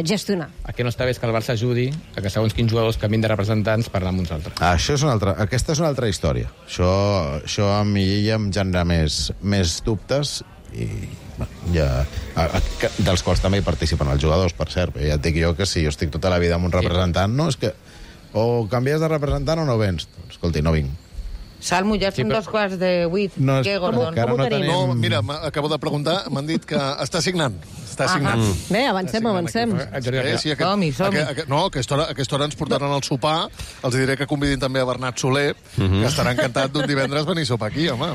gestionar. El que no està bé és que el Barça ajudi a que segons quins jugadors canvin de representants parlar amb uns altres. Aquesta és una altra història. Això a mi ja em genera més dubtes i dels quals també hi participen els jugadors, per cert. Ja et dic jo que si jo estic tota la vida amb un representant, no, és que o canvies de representant o no vens. Escolti, no vinc. Salmo, ja són 7:15. Què, Gordon? No, mira, acabo de preguntar, m'han dit que està signant. Bé, avancem. Som-hi. No, a aquesta hora ens portaran al sopar. Els diré que convidin també a Bernat Soler, que estarà encantat d'un divendres venir a sopar aquí, home.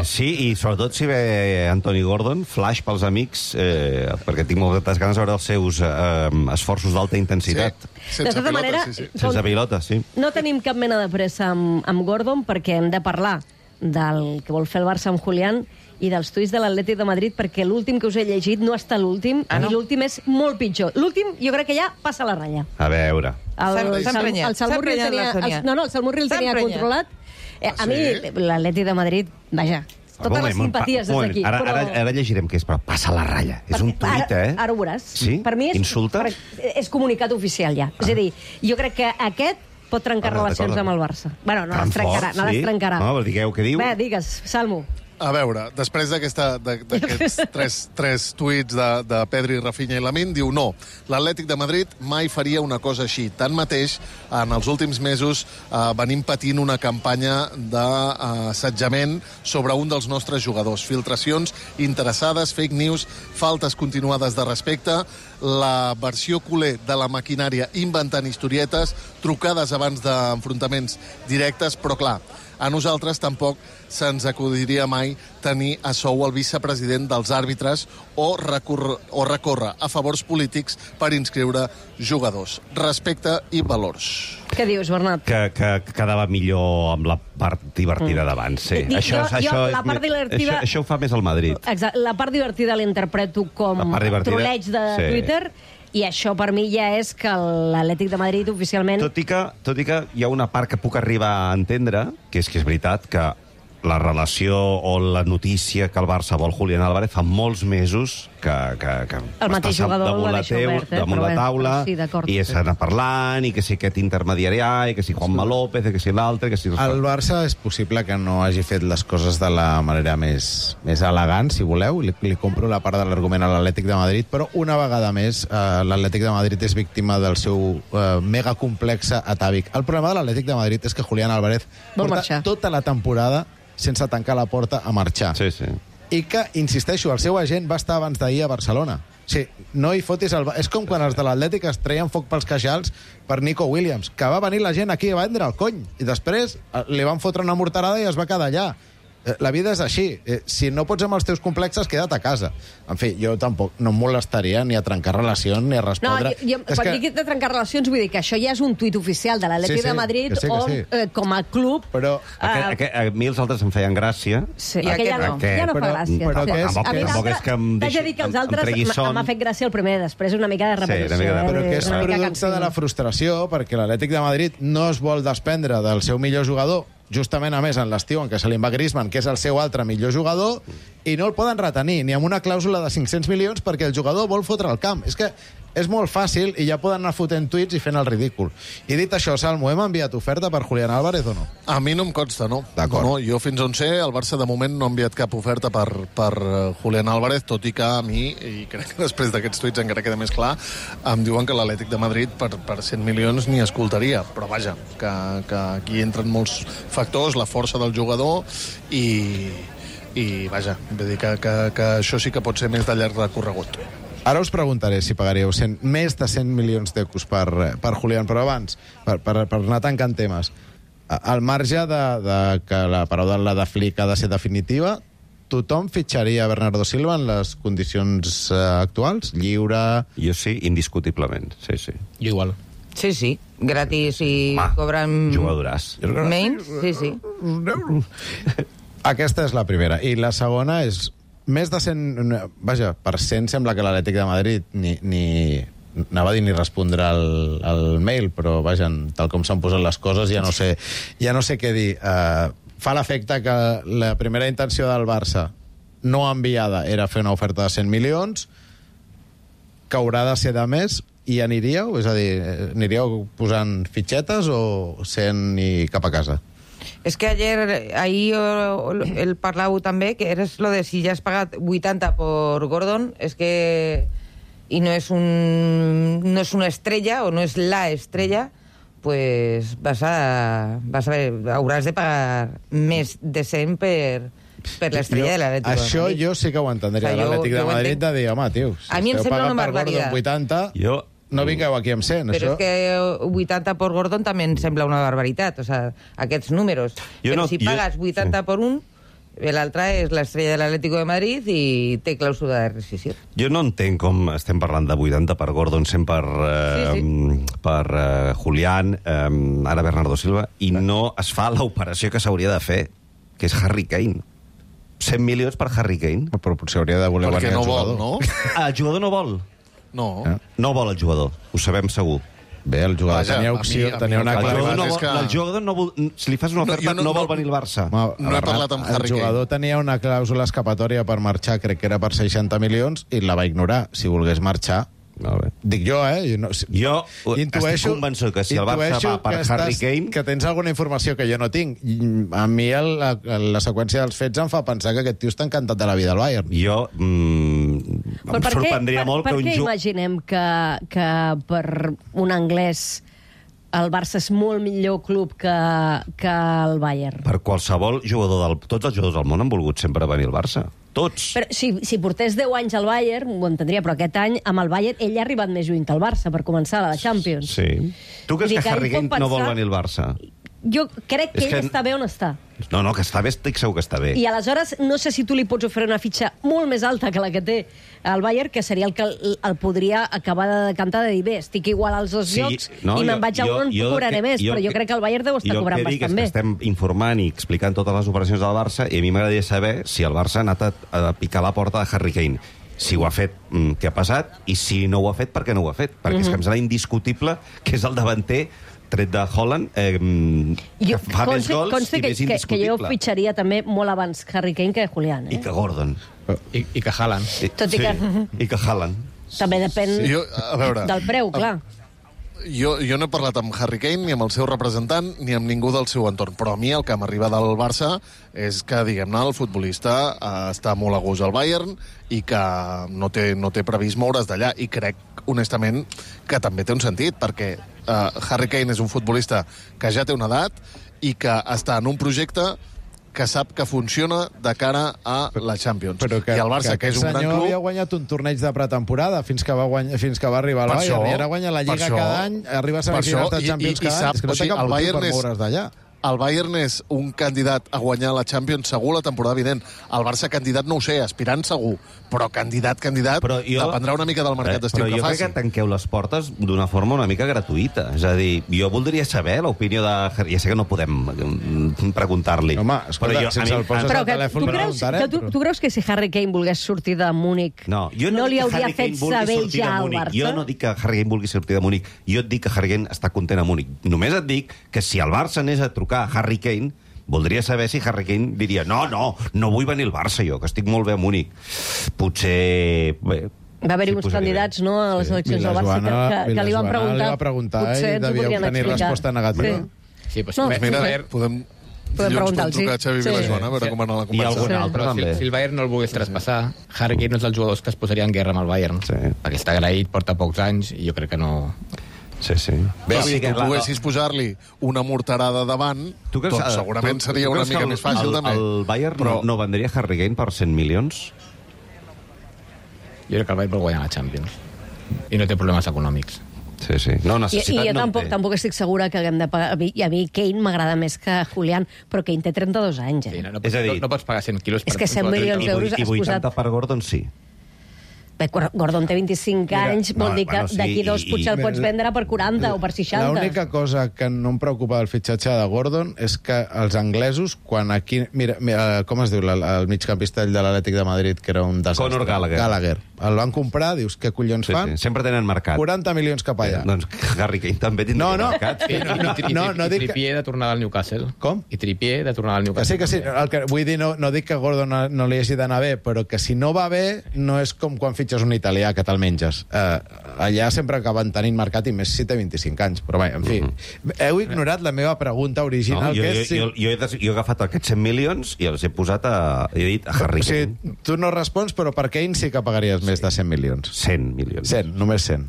Sí, i sobretot si ve Anthony Gordon, flash pels amics, perquè tinc moltes ganes de veure els seus esforços d'alta intensitat. De tota manera, sense pilota, sí. No tenim cap mena de pressa amb Gordon perquè hem de parlar del que vol fer el Barça amb Julián i dels tuits de l'Atlètic de Madrid, perquè l'últim que us he llegit no està l'últim, i l'últim és molt pitjor. L'últim jo crec que ja passa la ratlla. A veure. El Salmurri el tenia controlat. A mi l'Atlètic de Madrid, vaja, totes les simpaties des d'aquí. Ara llegirem què és, però passa la ratlla. És un tuit, Ara ho veuràs. Sí? Per mi Insulta? És comunicat oficial ja. És a dir, jo crec que aquest pot trencar relacions amb el Barça. Bueno, no les trencarà. No, digueu què diu. Bé, digues, Salmo. A veure, després d'aquests tres tuits de Pedri, Rafinha i Lamine, diu no, l'Atlètic de Madrid mai faria una cosa així. Tanmateix, en els últims mesos venim patint una campanya d'assetjament sobre un dels nostres jugadors. Filtracions interessades, fake news, faltes continuades de respecte, la versió culer de la maquinària inventant historietes, trucades abans d'enfrontaments directes, però clar, a nosaltres tampoc se'ns acudiria mai tenir a sou el vicepresident dels àrbitres o recórrer a favors polítics per inscriure jugadors. Respecte i valors. Què dius, Bernat? Que quedava millor amb la part divertida d'abans, sí. Això ho fa més el Madrid. Exacte. La part divertida l'interpreto com troleig de Twitter. I això per mi ja és que l'Atlètic de Madrid oficialment... Tot i que hi ha una part que puc arribar a entendre, que és veritat que la relació o la notícia que el Barça vol Julián Álvarez fa molts mesos que el mateix jugador damunt la taula, sí, i s'ha anat parlant, i que si aquest intermediari i que si Juanma López, i que si l'altre, que si... El Barça és possible que no hagi fet les coses de la manera més elegant, si voleu. Li compro la part de l'argument a l'Atlètic de Madrid, però una vegada més l'Atlètic de Madrid és víctima del seu megacomplexe atàvic. El problema de l'Atlètic de Madrid és que Julián Álvarez porta tota la temporada sense tancar la porta a marxar. Sí, sí. I que, insisteixo, el seu agent va estar abans d'ahir a Barcelona. Sí, no hi fotis és com quan els de l'Atlètic es treien foc pels queixals per Nico Williams, que va venir la gent aquí a vendre el cony, i després li van fotre una morterada i es va quedar allà. La vida és així. Si no pots amb els teus complexes, queda't a casa. En fi, jo tampoc no em molestaria ni a trencar relacions ni a respondre... No, quan dic de trencar relacions vull dir que això ja és un tuit oficial de l'Atlètic de Madrid on, com a club... Però a mi els altres em feien gràcia. Sí, i aquest ja no fa gràcia. Tampoc és que em tregui son. M'ha fet gràcia el primer, després una mica de repetició. Però que és producte de la frustració, perquè l'Atlètic de Madrid no es vol desprendre del seu millor jugador, justament, a més, en l'estiu en què se li va Griezmann, que és el seu altre millor jugador, i no el poden retenir, ni amb una clàusula de 500 milions, perquè el jugador vol fotre el camp. És que és molt fàcil i ja poden anar fotent tuits i fent el ridícul. I dit això, Salmo, hem enviat oferta per Julián Álvarez o no? A mi no em consta, no. D'acord. No, jo fins on sé, el Barça de moment no ha enviat cap oferta per Julián Álvarez, tot i que a mi, i crec que després d'aquests tuits encara queda més clar, em diuen que l'Atlètic de Madrid per 100 milions ni escoltaria. Però vaja, que aquí entren molts factors, la força del jugador i vaja, vull dir que això sí que pot ser més de llarg recorregut. Ara us preguntaré si pagaríeu més de 100 milions d'euros per Julián, però abans, per anar tancant temes, al marge de que la paraula de Flick ha de ser definitiva, tothom fitxaria Bernardo Silva en les condicions actuals? Lliure... Jo sí, indiscutiblement, sí, sí. Jo igual. Sí, sí, gratis i cobren... Jugadoràs. Menys, sí, sí. Aquesta és la primera. I la segona és... Més de 100... Vaja, per 100 sembla que l'Atlètic de Madrid anava a dir ni respondrà al mail, però vaja, tal com s'han posat les coses ja no sé què dir. Fa l'efecte que la primera intenció del Barça no enviada era fer una oferta de 100 milions, que haurà de ser de més, i aniríeu? És a dir, aniríeu posant fitxetes o 100 i cap a casa? Es que ahí el parlavo també, que eres lo de si ya has pagat 80 por Gordon, es que y no es una estrella o no es la estrella, pues hauràs de pagar més de 100 per l'estrella de l'Atlètic de Madrid. Això jo sí que ho entendria, l'Atlètic de Madrid, de dir, home, tio, si a mi em sembla una barbaritat. 80... No vingueu aquí amb 100, Però és que 80 por Gordon també em sembla una barbaritat, o sea, aquests números. Però si pagues 80 por un, l'altre és l'estrella de l'Atlético de Madrid i té clàusula de rescissió. Jo no entenc com estem parlant de 80 per Gordon, 100 per Julián, ara Bernardo Silva, i no es fa l'operació que s'hauria de fer, que és Harry Kane. 100 milions per Harry Kane. Però potser hauria de voler venir el jugador. No? El jugador no vol. No. No vol el jugador, ho sabem segur. Bé, el jugador tenia opció, tenia una clàusula... El jugador no vol, si li fas una oferta, no vol venir al Barça. No he parlat amb Harry Kane. El jugador tenia una clàusula escapatòria per marxar, crec que era per 60 milions, i la va ignorar. Si volgués marxar... Dic jo, Jo estic convençut que si el Barça va per Harry Kane... Que tens alguna informació que jo no tinc. A mi la seqüència dels fets em fa pensar que aquest tio està encantat de la vida al Bayern. Jo em sorprendria molt que un... Per què imaginem que per un anglès el Barça és molt millor club que el Bayern? Per qualsevol jugador tots els jugadors del món han volgut sempre venir al Barça. Tots. Però si portés 10 anys al Bayern, ho entendria, però aquest any, amb el Bayern, ell ha arribat més lluny que el Barça per començar a la Champions. Sí. Tu creus que Harry Kane no vol venir al Barça? Jo crec que ell està bé on està. No, que està bé, estic segur que està bé. I aleshores, no sé si tu li pots oferir una fitxa molt més alta que la que té el Bayern, que seria el que el podria acabar de decantar de dir, bé, estic igual als dos llocs i me'n vaig a on cobraré més, però jo crec que el Bayern deu estar cobrant bastant bé. Jo el que dic és que estem informant i explicant totes les operacions del Barça i a mi m'agradaria saber si el Barça ha anat a picar la porta de Harry Kane. Si ho ha fet, què ha passat? I si no ho ha fet, per què no ho ha fet? Perquè és que em sembla indiscutible que és el davanter tret de Haaland, que fa més gols i més indiscutible. Que jo fitxaria també molt abans Harry Kane que Julián. I que Gordon. I que Haaland. Tot i que... I que Haaland. També depèn del preu, clar. Jo no he parlat amb Harry Kane, ni amb el seu representant, ni amb ningú del seu entorn. Però a mi el que m'arriba del Barça és que, diguem-ne, el futbolista està molt a gust al Bayern i que no té previst moure's d'allà. I crec, honestament, que també té un sentit, perquè Harry Kane és un futbolista que ja té una edat i que està en un projecte que sap que funciona de cara a la Champions. Però I el Barça, que és un gran club... havia guanyat un torneig de pretemporada fins que va arribar al Bayern. I ara guanya la Lliga cada any, arriba a semifinals de Champions cada any. És que no té cap motiu per moure's d'allà. El Bayern és un candidat a guanyar la Champions segur la temporada vinent. El Barça candidat no ho sé, aspirant segur, però candidat, dependrà una mica del mercat d'estiu que faci. Però jo crec que tanqueu les portes d'una forma una mica gratuïta. És a dir, jo voldria saber l'opinió de... Ja sé que no podem preguntar-li. Home, escolta, sense el poses al telèfon... Tu creus que si Harry Kane volgués sortir de Múnich no li hauria fet saber ja al Barça? Jo no dic que Harry Kane vulgui sortir de Múnich, jo et dic que Harry Kane està content a Múnich. Només et dic que si el Barça anés a trucar a Harry Kane, voldria saber si Harry Kane diria no vull venir al Barça jo, que estic molt bé a Múnich. Potser... Va haver-hi uns candidats, no, a les eleccions del Barça que li van preguntar. Potser ens ho podrien explicar. Resposta negativa. Sí, doncs mira, podem trucar a Xavi Vilajoana a veure com va anar la conversa. I algun altre, també. Si el Bayern no el volgués traspassar, Harry Kane no és dels jugadors que es posarà en guerra amb el Bayern. Perquè està agraït, porta pocs anys, i jo crec que no... Sí. Bé, si tu poguessis posar-li una morterada davant, segurament seria una mica més fàcil també. El Bayern no vendria Harry Kane per 100 milions? Jo crec que el Bayern vol guanyar la Champions. I no té problemes econòmics. Sí. No, I jo tampoc estic segura que haguem de pagar... I a mi Kane m'agrada més que Julián, però Kane té 32 anys. Sí, no pots pagar 100 quilos per... És que 100 milions d'euros has posat... I 80 per Gordon, sí. Bé, Gordon té 25 anys, vol dir que d'aquí dos potser el pots vendre per 40 o per 60. L'única cosa que no em preocupa del fitxatge de Gordon és que els anglesos, quan aquí... Mira, com es diu el migcampista de l'Atlètic de Madrid, que era un desastre? Conor Gallagher. El van comprar, dius, què collons fan? Sí. Sempre tenen mercat. 40 milions cap allà. Doncs Harry Kane també tindria mercat. I Trippier de tornar al Newcastle. Com? I Trippier de tornar al Newcastle. Que sí. Vull dir, no dic que Gordon no li hagi d'anar bé, però que si no va bé, no és com quan fitxes un italià que te'l menges. Allà sempre acaben tenint mercat, i més si té 25 anys. Però bé, en fi, heu ignorat la meva pregunta original, que és... Jo he agafat aquests 100 milions i els he posat he dit a Harry Kane. Sí, tu no respons, però per Kane sí que pagaries més de 100 milions. 100 milions. 100, només 100.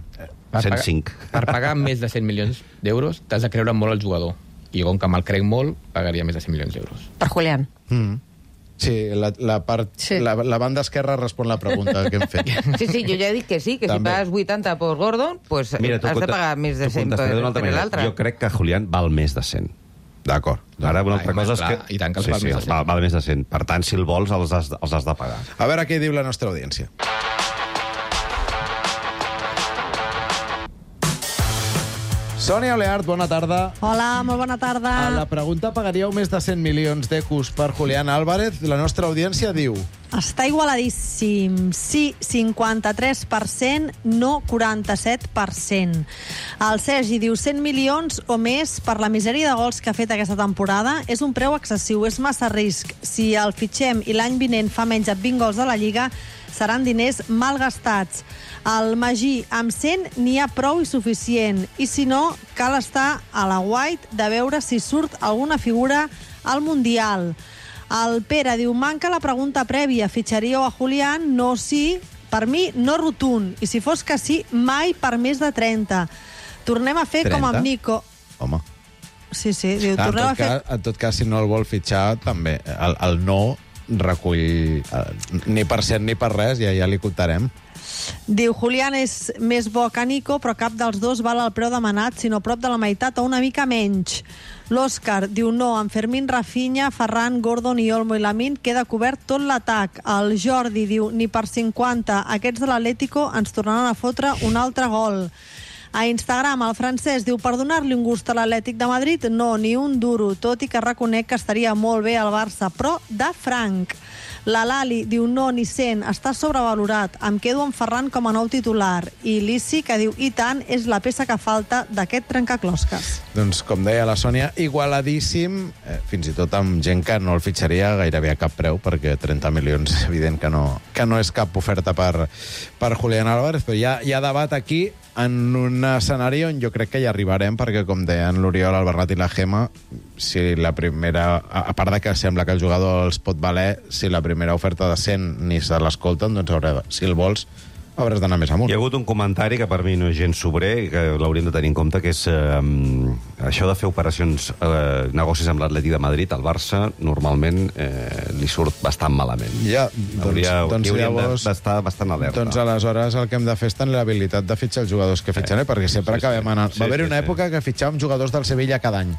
105. Per pagar més de 100 milions d'euros t'has de creure molt el jugador. I com que me'l crec molt, pagaria més de 100 milions d'euros. Per Julián. Sí, la banda esquerra respon la pregunta que hem fet. Sí, jo ja he dit que sí, que també. Si pagues 80 per Gordon, pues has de pagar més de 100 per l'altre. Jo crec que Julián val més de 100. D'acord. Ara una altra cosa és que... I tant que els val més de 100. Val més de 100. Per tant, si el vols, els has de pagar. A veure què diu la nostra audiència. Sònia Oleart, bona tarda. Hola, molt bona tarda. A la pregunta, pagaríeu més de 100 milions d'ecus per Julián Álvarez? La nostra audiència diu... Està igualadíssim. Sí, 53%, no 47%. El Sergi diu 100 milions o més per la misèria de gols que ha fet aquesta temporada. És un preu excessiu, és massa risc. Si el fitxem i l'any vinent fa menys de 20 gols a la Lliga, seran diners mal gastats. El Magí, amb 100 n'hi ha prou i suficient. I si no, cal estar a la White de veure si surt alguna figura al Mundial. El Pere diu, manca la pregunta prèvia. Fitxaríeu a Julián? No, sí. Per mi, no rotund. I si fos que sí, mai per més de 30. Tornem a fer 30? Com amb Nico. Home. Sí, diu, tornem a fer... En tot cas, si no el vol fitxar, també. El no recull ni per cent ni per res, ja li comptarem. Diu, Julián és més bo que Nico, però cap dels dos val el preu demanat, sinó prop de la meitat o una mica menys. L'Òscar diu, no, amb Fermín, Rafinha, Ferran, Gordon i Olmo i Lamine queda cobert tot l'atac. El Jordi diu, ni per 50, aquests de l'Atlético ens tornaran a fotre un altre gol. A Instagram, el Francesc diu, per donar-li un gust a l'Atlètic de Madrid, no, ni un duro, tot i que reconec que estaria molt bé al Barça, però de franc. La Lali diu no, ni 100, està sobrevalorat, em quedo amb Ferran com a nou titular. I l'Issi, que diu, i tant, és la peça que falta d'aquest trencaclosques. Doncs, com deia la Sònia, igualadíssim, fins i tot amb gent que no el fitxaria gairebé a cap preu, perquè 30 milions és evident que no és cap oferta per Julián Álvarez, però hi ha debat aquí en un escenari on jo crec que hi arribarem, perquè, com deien l'Oriol, el Bernat i la Gemma, si la primera... A part de que sembla que el jugador els pot valer, si la primera oferta de 100 ni se l'escolten, doncs si el vols, hauràs d'anar més amunt. Hi ha hagut un comentari que per mi no és gens sobrer, que l'hauríem de tenir en compte, que és això de fer operacions, negocis amb l'Atlètic de Madrid, al Barça, normalment li surt bastant malament. Ja, doncs llavors... d'estar bastant alerta. Doncs aleshores el que hem de fer és tenir l'habilitat de fitxar els jugadors que fitxen, perquè sempre acabem anant... Va haver-hi una època que fitxàvem jugadors del Sevilla cada any.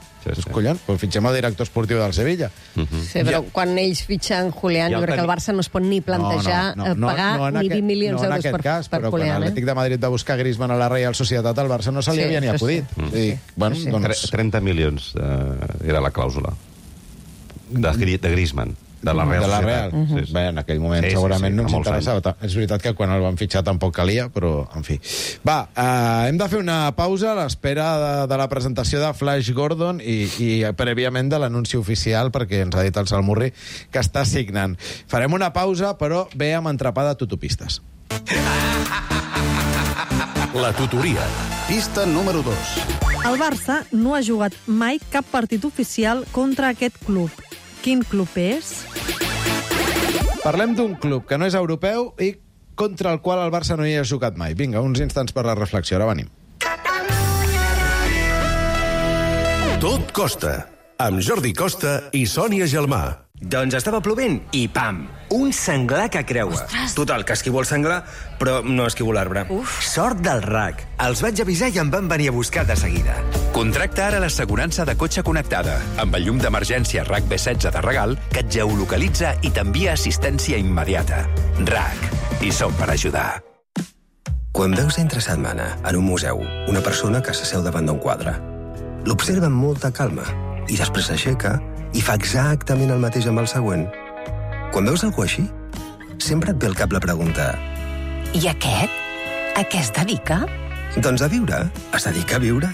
Collons, doncs fitxem el director esportiu del Sevilla. Sí, però quan ells fitxen Julián, jo crec que el Barça no es pot ni plantejar pagar ni 20 milions d'euros per però quan l'Atlètic de Madrid va buscar Griezmann a la Reial Societat, al Barça no se li havia ni acudit. 30 milions era la clàusula de Griezmann, de la Real Societat. Bé, en aquell moment segurament no ens interessava. És veritat que quan el van fitxar tampoc calia, però, en fi. Va, hem de fer una pausa a l'espera de la presentació de Flash Gordon i prèviament de l'anunci oficial, perquè ens ha dit el Salmurri que està signant. Farem una pausa, però ve amb entrepà de tutopistes. La tutoria. Pista número 2. El Barça no ha jugat mai cap partit oficial contra aquest club. Quin club és? Parlem d'un club que no és europeu i contra el qual el Barça no hi ha jugat mai. Vinga, uns instants per la reflexió. Ara venim. Tot costa. Amb Jordi Costa i Sònia Gelmà. Doncs estava plovent i pam! Un senglar que creua. Ostres. Total, que esquivo el senglar, però no esquivo l'arbre. Sort del RAC. Els vaig avisar i em van venir a buscar de seguida. Contracta ara l'assegurança de cotxe connectada, amb el llum d'emergència RAC B16 de regal, que et geolocalitza i t'envia assistència immediata. RAC. I som per ajudar. Quan veus entre setmana, en un museu, una persona que s'asseu davant d'un quadre, l'observa amb molta calma i després s'aixeca i fa exactament el mateix amb el següent. Quan veus algú així, sempre et ve al cap la pregunta: I aquest? A què es dedica? Doncs a viure. Es dedica a viure.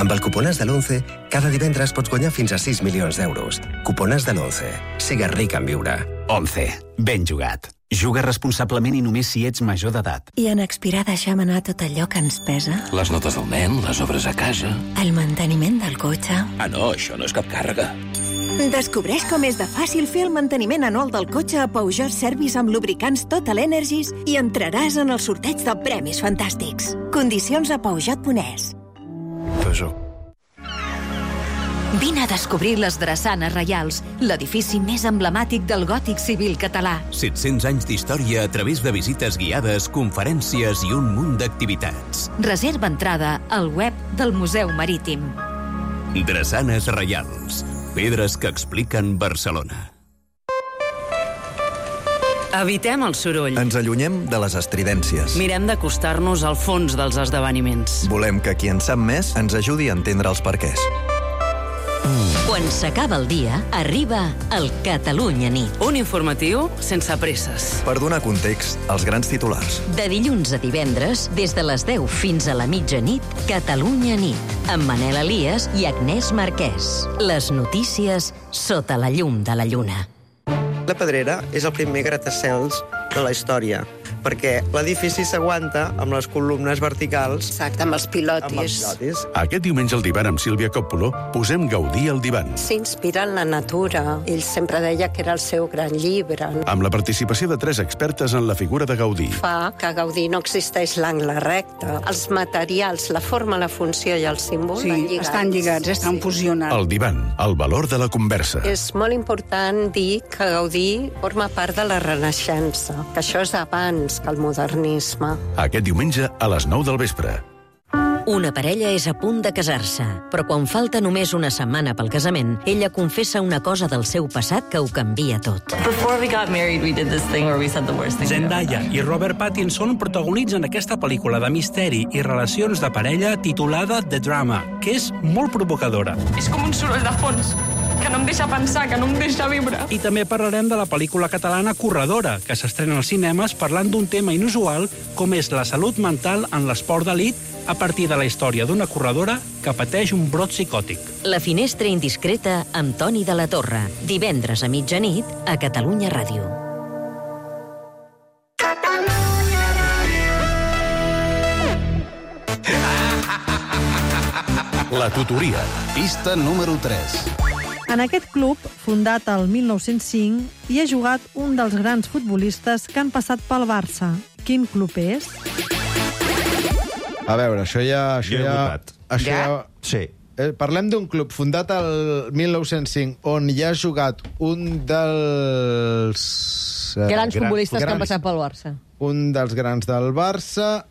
Amb el Cupones de l'11, cada divendres pots guanyar fins a 6 milions d'euros. Cupones de l'11. Sigues ric en viure. 11. Ben jugat. Juga responsablement i només si ets major d'edat. I en expirar deixem anar tot allò que ens pesa? Les notes del nen, les obres a casa... El manteniment del cotxe... Ah, no, això no és cap càrrega. Descobreix com és de fàcil fer el manteniment anual del cotxe a Peugeot Service amb lubricants Total Energies i entraràs en el sorteig de premis fantàstics. Condicions a Peugeot.es. Peugeot. Vine a descobrir les Drassanes Reials, l'edifici més emblemàtic del gòtic civil català. 700 anys d'història a través de visites guiades, conferències i un munt d'activitats. Reserva entrada al web del Museu Marítim. Drassanes Reials. Pedres que expliquen Barcelona. Evitem el soroll. Ens allunyem de les estridències. Mirem d'acostar-nos al fons dels esdeveniments. Volem que qui en sap més ens ajudi a entendre els perquès. Quan s'acaba el dia, arriba el Catalunya Nit. Un informatiu sense presses. Per donar context als grans titulars. De dilluns a divendres, des de les 10 fins a la mitjanit, Catalunya Nit, amb Manel Elias i Agnès Marquès. Les notícies sota la llum de la lluna. La Pedrera és el primer gratacels de la història, perquè l'edifici s'aguanta amb les columnes verticals. Exacte, amb els pilotis. Aquest diumenge al divan amb Sílvia Coppolo posem Gaudí al divan. S'inspira en la natura. Ell sempre deia que era el seu gran llibre. Amb la participació de 3 expertes en la figura de Gaudí. Fa que a Gaudí no existeix l'angle recte. Els materials, la forma, la funció i el símbol van lligats. Estan lligats, estan fusionats. El divan, el valor de la conversa. És molt important dir que Gaudí forma part de la Renaixença, que això és abans que el modernisme. Aquest diumenge a les 9 del vespre. Una parella és a punt de casar-se, però quan falta només una setmana pel casament, ella confessa una cosa del seu passat que ho canvia tot. Zendaya i Robert Pattinson protagonitzen aquesta pel·lícula de misteri i relacions de parella titulada The Drama, que és molt provocadora. És com un soroll de fons. que no em deixa pensar, que no em deixa viure. I també parlarem de la pel·lícula catalana Corredora, que s'estrena als cinemes parlant d'un tema inusual com és la salut mental en l'esport d'elit a partir de la història d'una corredora que pateix un brot psicòtic. La finestra indiscreta amb Toni de la Torre. Divendres a mitjanit a Catalunya Ràdio. La tutoria, pista número 3. En aquest club, fundat el 1905, hi ha jugat un dels grans futbolistes que han passat pel Barça. Quin club és? A veure, això ja... Sí. Parlem d'un club fundat el 1905 on hi ha jugat un dels... grans futbolistes que han passat pel Barça. Un dels grans del Barça,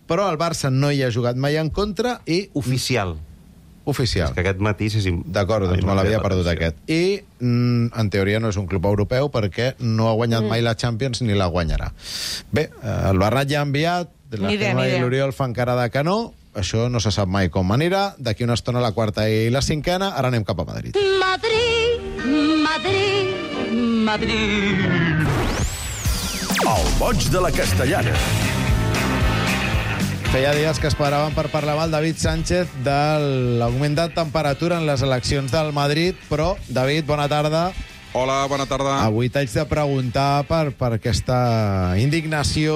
però el Barça no hi ha jugat mai en contra i... Oficial. Oficial. És que aquest matís és... D'acord, doncs me l'havia perdut aquest. I, en teoria, no és un club europeu perquè no ha guanyat mai la Champions ni la guanyarà. Bé, el Bernat ja ha enviat, la Gemma i l'Oriol fan cara de que no, això no se sap mai com anirà, d'aquí una estona la quarta i la cinquena, ara anem cap a Madrid. Madrid, Madrid, Madrid. El boig de la Castellana. Feia dies que esperaven per parlar amb el David Sánchez de l'augment de temperatura en les eleccions del Madrid, però, David, bona tarda. Hola, bona tarda. Avui t'haig de preguntar per aquesta indignació,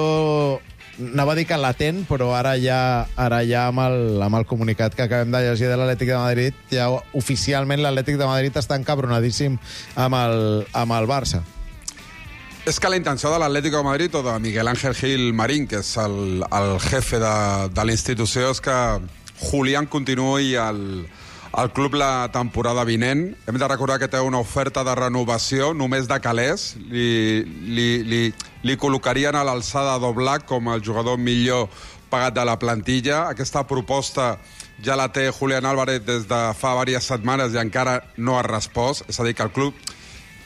anava a dir que latent, però ara ja amb el comunicat que acabem de llegir de l'Atlètic de Madrid, ja oficialment l'Atlètic de Madrid està encabronadíssim amb el Barça. És que la intenció de l'Atlético de Madrid o de Miguel Ángel Gil Marín, que és el jefe de la institució, és que Julián continuï al club la temporada vinent. Hem de recordar que té una oferta de renovació només de calés. Li col·locarien a l'alçada d'Oblak com el jugador millor pagat de la plantilla. Aquesta proposta ja la té Julián Álvarez des de fa diverses setmanes i encara no ha respost. És a dir, que el club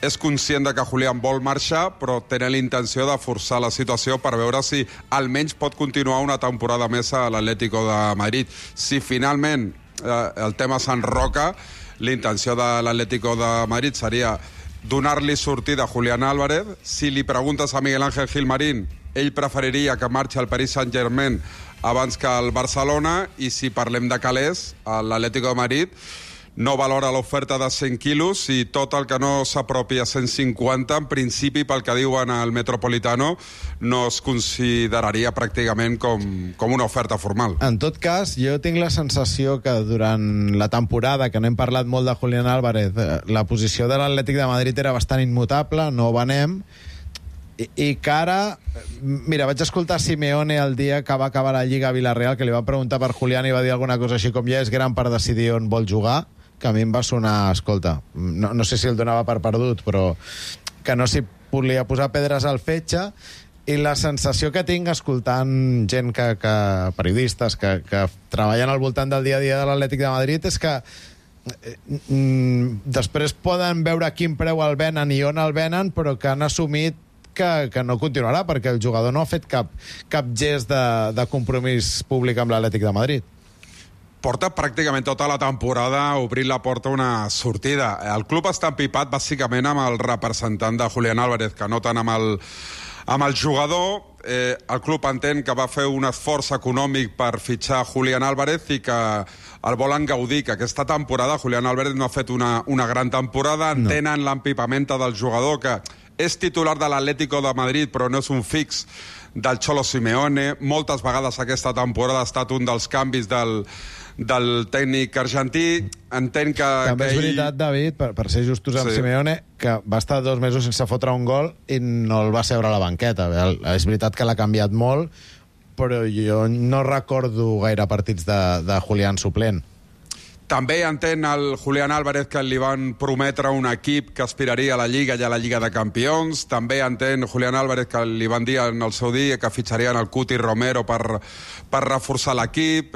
és conscient de que Julián vol marxar, però tenen la intenció de forçar la situació per veure si almenys pot continuar una temporada més a l'Atlético de Madrid. Si finalment el tema s'enroca, la intenció de l'Atlético de Madrid seria donar-li sortida a Julián Álvarez. Si li preguntes a Miguel Ángel Gil Marín, ell preferiria que marxi al Paris Saint-Germain abans que al Barcelona, i si parlem de calés, l'Atlético de Madrid no valora l'oferta de 100 quilos i tot el que no s'apropi a 150, en principi, pel que diuen al Metropolitano, no es consideraria pràcticament com una oferta formal. En tot cas, jo tinc la sensació que durant la temporada, que n'hem parlat molt de Julián Álvarez, la posició de l'Atlètic de Madrid era bastant immutable, no venem, i que ara... Mira, vaig escoltar Simeone el dia que va acabar la Lliga a Villarreal, que li va preguntar per Julián i va dir alguna cosa així com ja és gran per decidir on vol jugar, que a mi em va sonar, escolta, no sé si el donava per perdut, però que no s'hi volia posar pedres al fetge, i la sensació que tinc escoltant gent periodistes que treballen al voltant del dia a dia de l'Atlètic de Madrid és que després poden veure a quin preu el venen i on el venen, però que han assumit que no continuarà, perquè el jugador no ha fet cap gest de compromís públic amb l'Atlètic de Madrid. Porta pràcticament tota la temporada obrint la porta a una sortida. El club està empipat bàsicament amb el representant de Julián Álvarez, que no tant amb el jugador. El club entén que va fer un esforç econòmic per fitxar Julián Álvarez i que el volen gaudir, que aquesta temporada Julián Álvarez no ha fet una gran temporada. Entenen l'empipamenta del jugador, que és titular de l'Atlético de Madrid, però no és un fix del Cholo Simeone. Moltes vegades aquesta temporada ha estat un dels canvis del tècnic argentí. Entenc que... També és veritat, David, per ser justos amb Simeone, que va estar 2 mesos sense fotre un gol i no el va seure a la banqueta. És veritat que l'ha canviat molt, però jo no recordo gaire partits de Julián suplent. També entén el Julián Álvarez que li van prometre un equip que aspiraria a la Lliga i a la Lliga de Campions. També entén Julián Álvarez que li van dir en el seu dia que fitxarien el Cuti Romero per reforçar l'equip.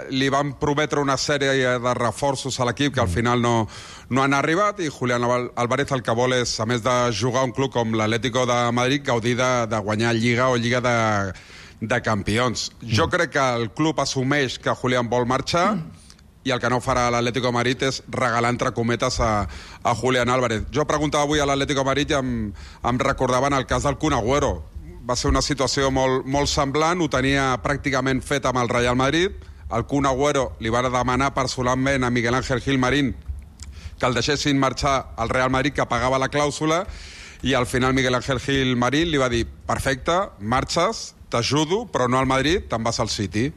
Li van prometre una sèrie de reforços a l'equip que al final no han arribat, i Julián Álvarez el que vol és, a més de jugar un club com l'Atlético de Madrid, gaudir de guanyar Lliga o Lliga de Campions. Jo crec que el club assumeix que Julián vol marxar, i i el que no farà l'Atlético de Madrid és regalar entre cometes a Julián Álvarez. Jo preguntava avui a l'Atlético de Madrid i em recordaven el cas del Kun Agüero. Va ser una situació molt semblant, ho tenia pràcticament fet amb el Real Madrid. El Kun Agüero li va demanar personalment a Miguel Ángel Gil Marín que el deixessin marxar al Real Madrid, que pagava la clàusula, i al final Miguel Ángel Gil Marín li va dir: perfecte, marxes, t'ajudo, però no al Madrid, te'n vas al City.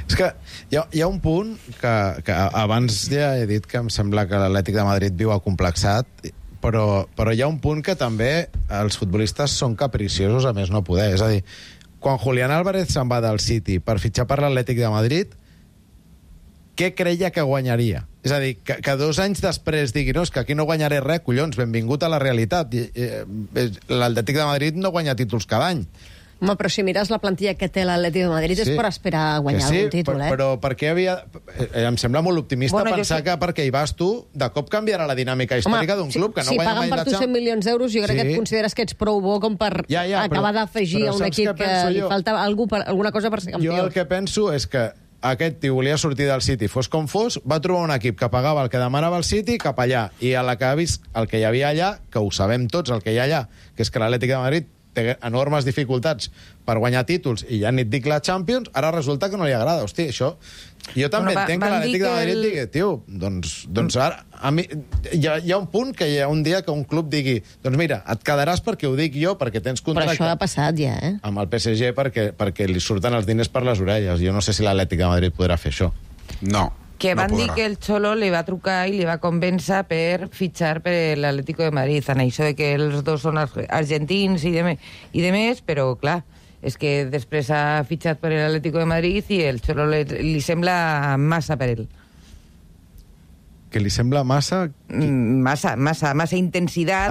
És que hi ha un punt que abans ja he dit que em sembla que l'Atlètic de Madrid viu acomplexat, però hi ha un punt que també els futbolistes són capriciosos a més no poder. És a dir, quan Julián Álvarez se'n va del City per fitxar per l'Atlètic de Madrid, què creia que guanyaria? És a dir, que 2 anys després digui: no, és que aquí no guanyaré res, collons, benvingut a la realitat. L'Atlètic de Madrid no guanya títols cada any. Home, però si mires la plantilla que té l'Atlètic de Madrid és per esperar a guanyar algun títol, però per què havia... Em sembla molt optimista pensar que perquè hi vas tu, de cop canviarà la dinàmica històrica d'un club que no guanya mai la Champions. Si paguen per tu 100 milions d'euros, jo crec que et consideres que ets prou bo com per acabar d'afegir a un equip que li falta alguna cosa per ser campió. Jo el que penso és que aquest tio volia sortir del City, fos com fos, va trobar un equip que pagava el que demanava el City cap allà, i a la que ha vist el que hi havia allà, que ho sabem tots, el que hi ha allà, que és que l'Atlètic de Madrid té enormes dificultats per guanyar títols, i ja ni et dic la Champions, ara resulta que no li agrada. Hosti, això... Jo també entenc que l'Atlètic de Madrid digui: tio, doncs ara... Hi ha un punt que hi ha un dia que un club digui: doncs mira, et quedaràs perquè ho dic jo, perquè tens contracte... Però això ha passat ja, amb el PSG perquè li surten els diners per les orelles. Jo no sé si l'Atlètic de Madrid podrà fer això. No. Que van dir que el Cholo li va trucar i li va convèncer per fitxar per l'Atlético de Madrid. En això de que els dos són argentins i de més, però clar, és que després ha fitxat per l'Atlético de Madrid i el Cholo li sembla massa per ell. Que li sembla massa... Massa intensitat,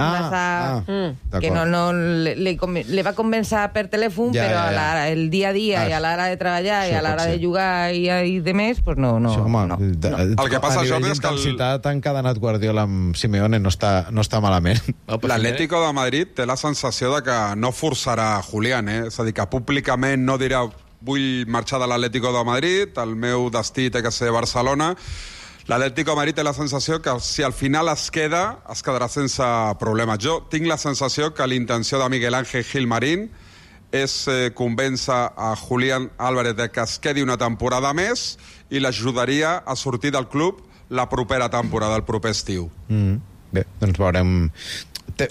que no li va convèncer per telèfon, però el dia a dia i a l'hora de treballar i a l'hora de jugar i de més, doncs no. El que passa, Jordi, és que l'intensitat encadenat Guardiola amb Simeone no està malament. L'Atlético de Madrid té la sensació de que no forçarà Julián, és a dir, que públicament no dirà: vull marxar de l'Atlético de Madrid, el meu destí té que ser Barcelona. L'Atlético de Madrid té la sensació que si al final es quedarà sense problemes. Jo tinc la sensació que l'intenció de Miguel Ángel Gil Marín és convèncer a Julián Álvarez de que es quedi una temporada més i l'ajudaria a sortir del club la propera temporada, el proper estiu. Bé, doncs veurem...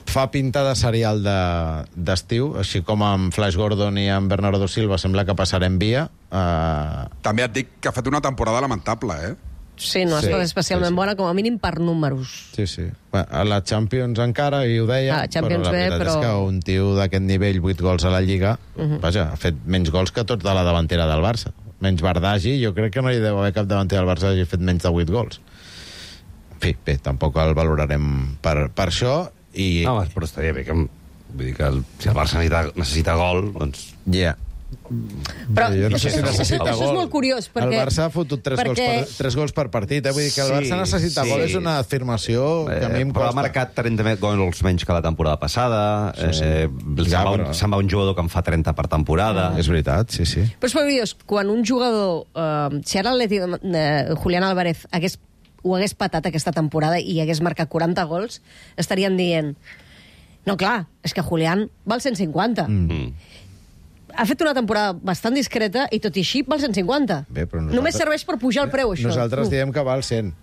Fa pinta de serial d'estiu, així com amb Flash Gordon i amb Bernardo Silva sembla que passarem via. També et dic que ha fet una temporada lamentable, Sí, no ha estat especialment bona, com a mínim per números. Sí. A la Champions encara, i ho deia, però la veritat és que un tio d'aquest nivell, 8 gols a la Lliga, vaja, ha fet menys gols que tots de la davantera del Barça. Menys Bardagi, jo crec que no hi deu haver cap davantera del Barça que hagi fet menys de 8 gols. En fi, bé, tampoc el valorarem per això. No, però estaria bé que... Vull dir que si el Barça necessita gol, doncs... Ja. Però jo no sé si necessita gol. Això és molt curiós, perquè... El Barça ha fotut 3 gols per partit, Vull dir que el Barça necessita gol, és una afirmació que a mi em costa. Però ha marcat 30 gols menys que la temporada passada, se'n va un jugador que en fa 30 per temporada. És veritat, sí. Però és curiós, quan un jugador... Si ara Julián Álvarez ho hagués patat aquesta temporada i hagués marcat 40 gols, estarien dient: no, clar, és que Julián val 150. Ha fet una temporada bastant discreta i tot i així val 150. Bé, només serveix per pujar el preu, això. Nosaltres diem que val 100.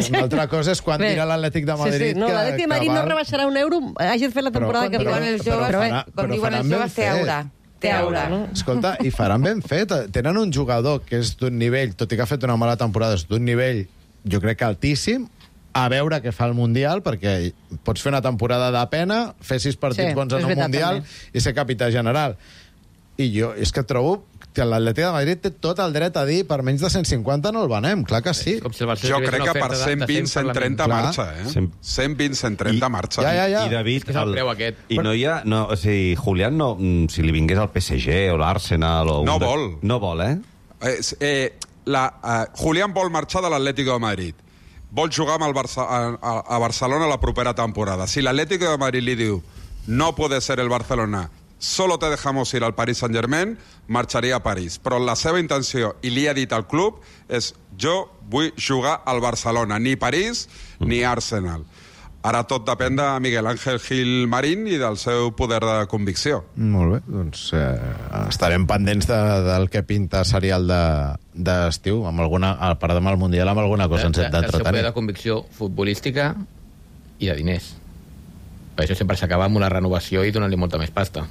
Una altra cosa és quan dirà l'Atlètic de Madrid. No, l'Atlètic de Madrid no rebaixarà €1, hagi fet la temporada que diuen els joves, té aura. Escolta, i faran ben fet. Tenen un jugador que és d'un nivell, tot i que ha fet una mala temporada, és d'un nivell, jo crec que altíssim, a veure què fa el Mundial, perquè pots fer una temporada de pena, fer 6 partits bons en un Mundial i ser capità general. I jo és que trobo que l'Atlètic de Madrid té tot el dret a dir per menys de 150 no el venem, clar que sí. Jo crec que per 120, 130 marxa, 120, 130 marxa. I David, i no hi ha... O sigui, Julián, si li vingués al PSG o l'Arsenal... No vol. No vol, Julián vol marxar de l'Atlético de Madrid. Vol jugar amb a Barcelona la propera temporada. Si l'Atlético de Madrid li diu no puede ser el Barcelona, solo te dejamos ir al Paris Saint-Germain, marxaria a París. Però la seva intenció, i li ha dit al club, és jo vull jugar al Barcelona, ni París ni Arsenal. Ara tot depèn de Miguel Ángel Gil Marín i del seu poder de convicció. Molt bé, doncs estarem pendents del que pinta serial d'estiu, amb alguna, a part demà al Mundial, amb alguna cosa ens hem d'entretenir. El seu poder de convicció futbolística i de diners. Per això sempre s'acaba amb una renovació i donant-li molta més pasta.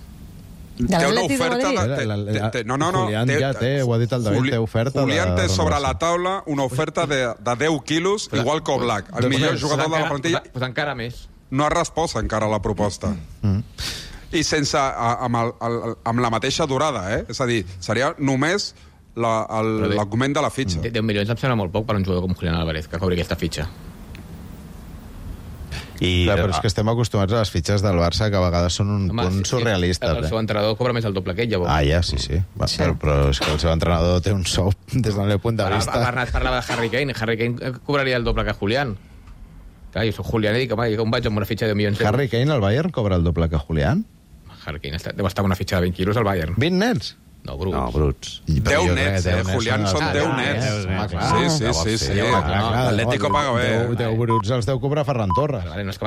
De l'Atlètic de Madrid? No. Julián ja té, ho ha dit el David, té oferta. Julián té sobre la taula una oferta de 10 quilos, igual que Oblak, el millor jugador de la plantilla. Pues encara més. No ha respost encara a la proposta. I sense, amb la mateixa durada, És a dir, seria només l'augment de la fitxa. 10 milions em sembla molt poc per un jugador com Julián Álvarez, que cobri aquesta fitxa. Clar, però és que estem acostumats a les fitxes del Barça, que a vegades són un punt surrealistes. El seu entrenador cobra més el doble que ell, llavors. Ja, sí. Però és que el seu entrenador té un sou des del meu punt de vista. Bernat parlava de Harry Kane. Harry Kane cobraria el doble que Julián. Clar, jo soc Julián i dic, home, com vaig amb una fitxa de 10 milions d'euros? Harry Kane al Bayern cobra el doble que Julián? Harry Kane deu estar amb una fitxa de 20 quilos al Bayern. 20 nets? No, bruts. No, bruts. 10 nets, Julián són 10 nets. Sí. L'Atlético paga bé. 10 bruts els deu cobrar Ferran Torres. No és que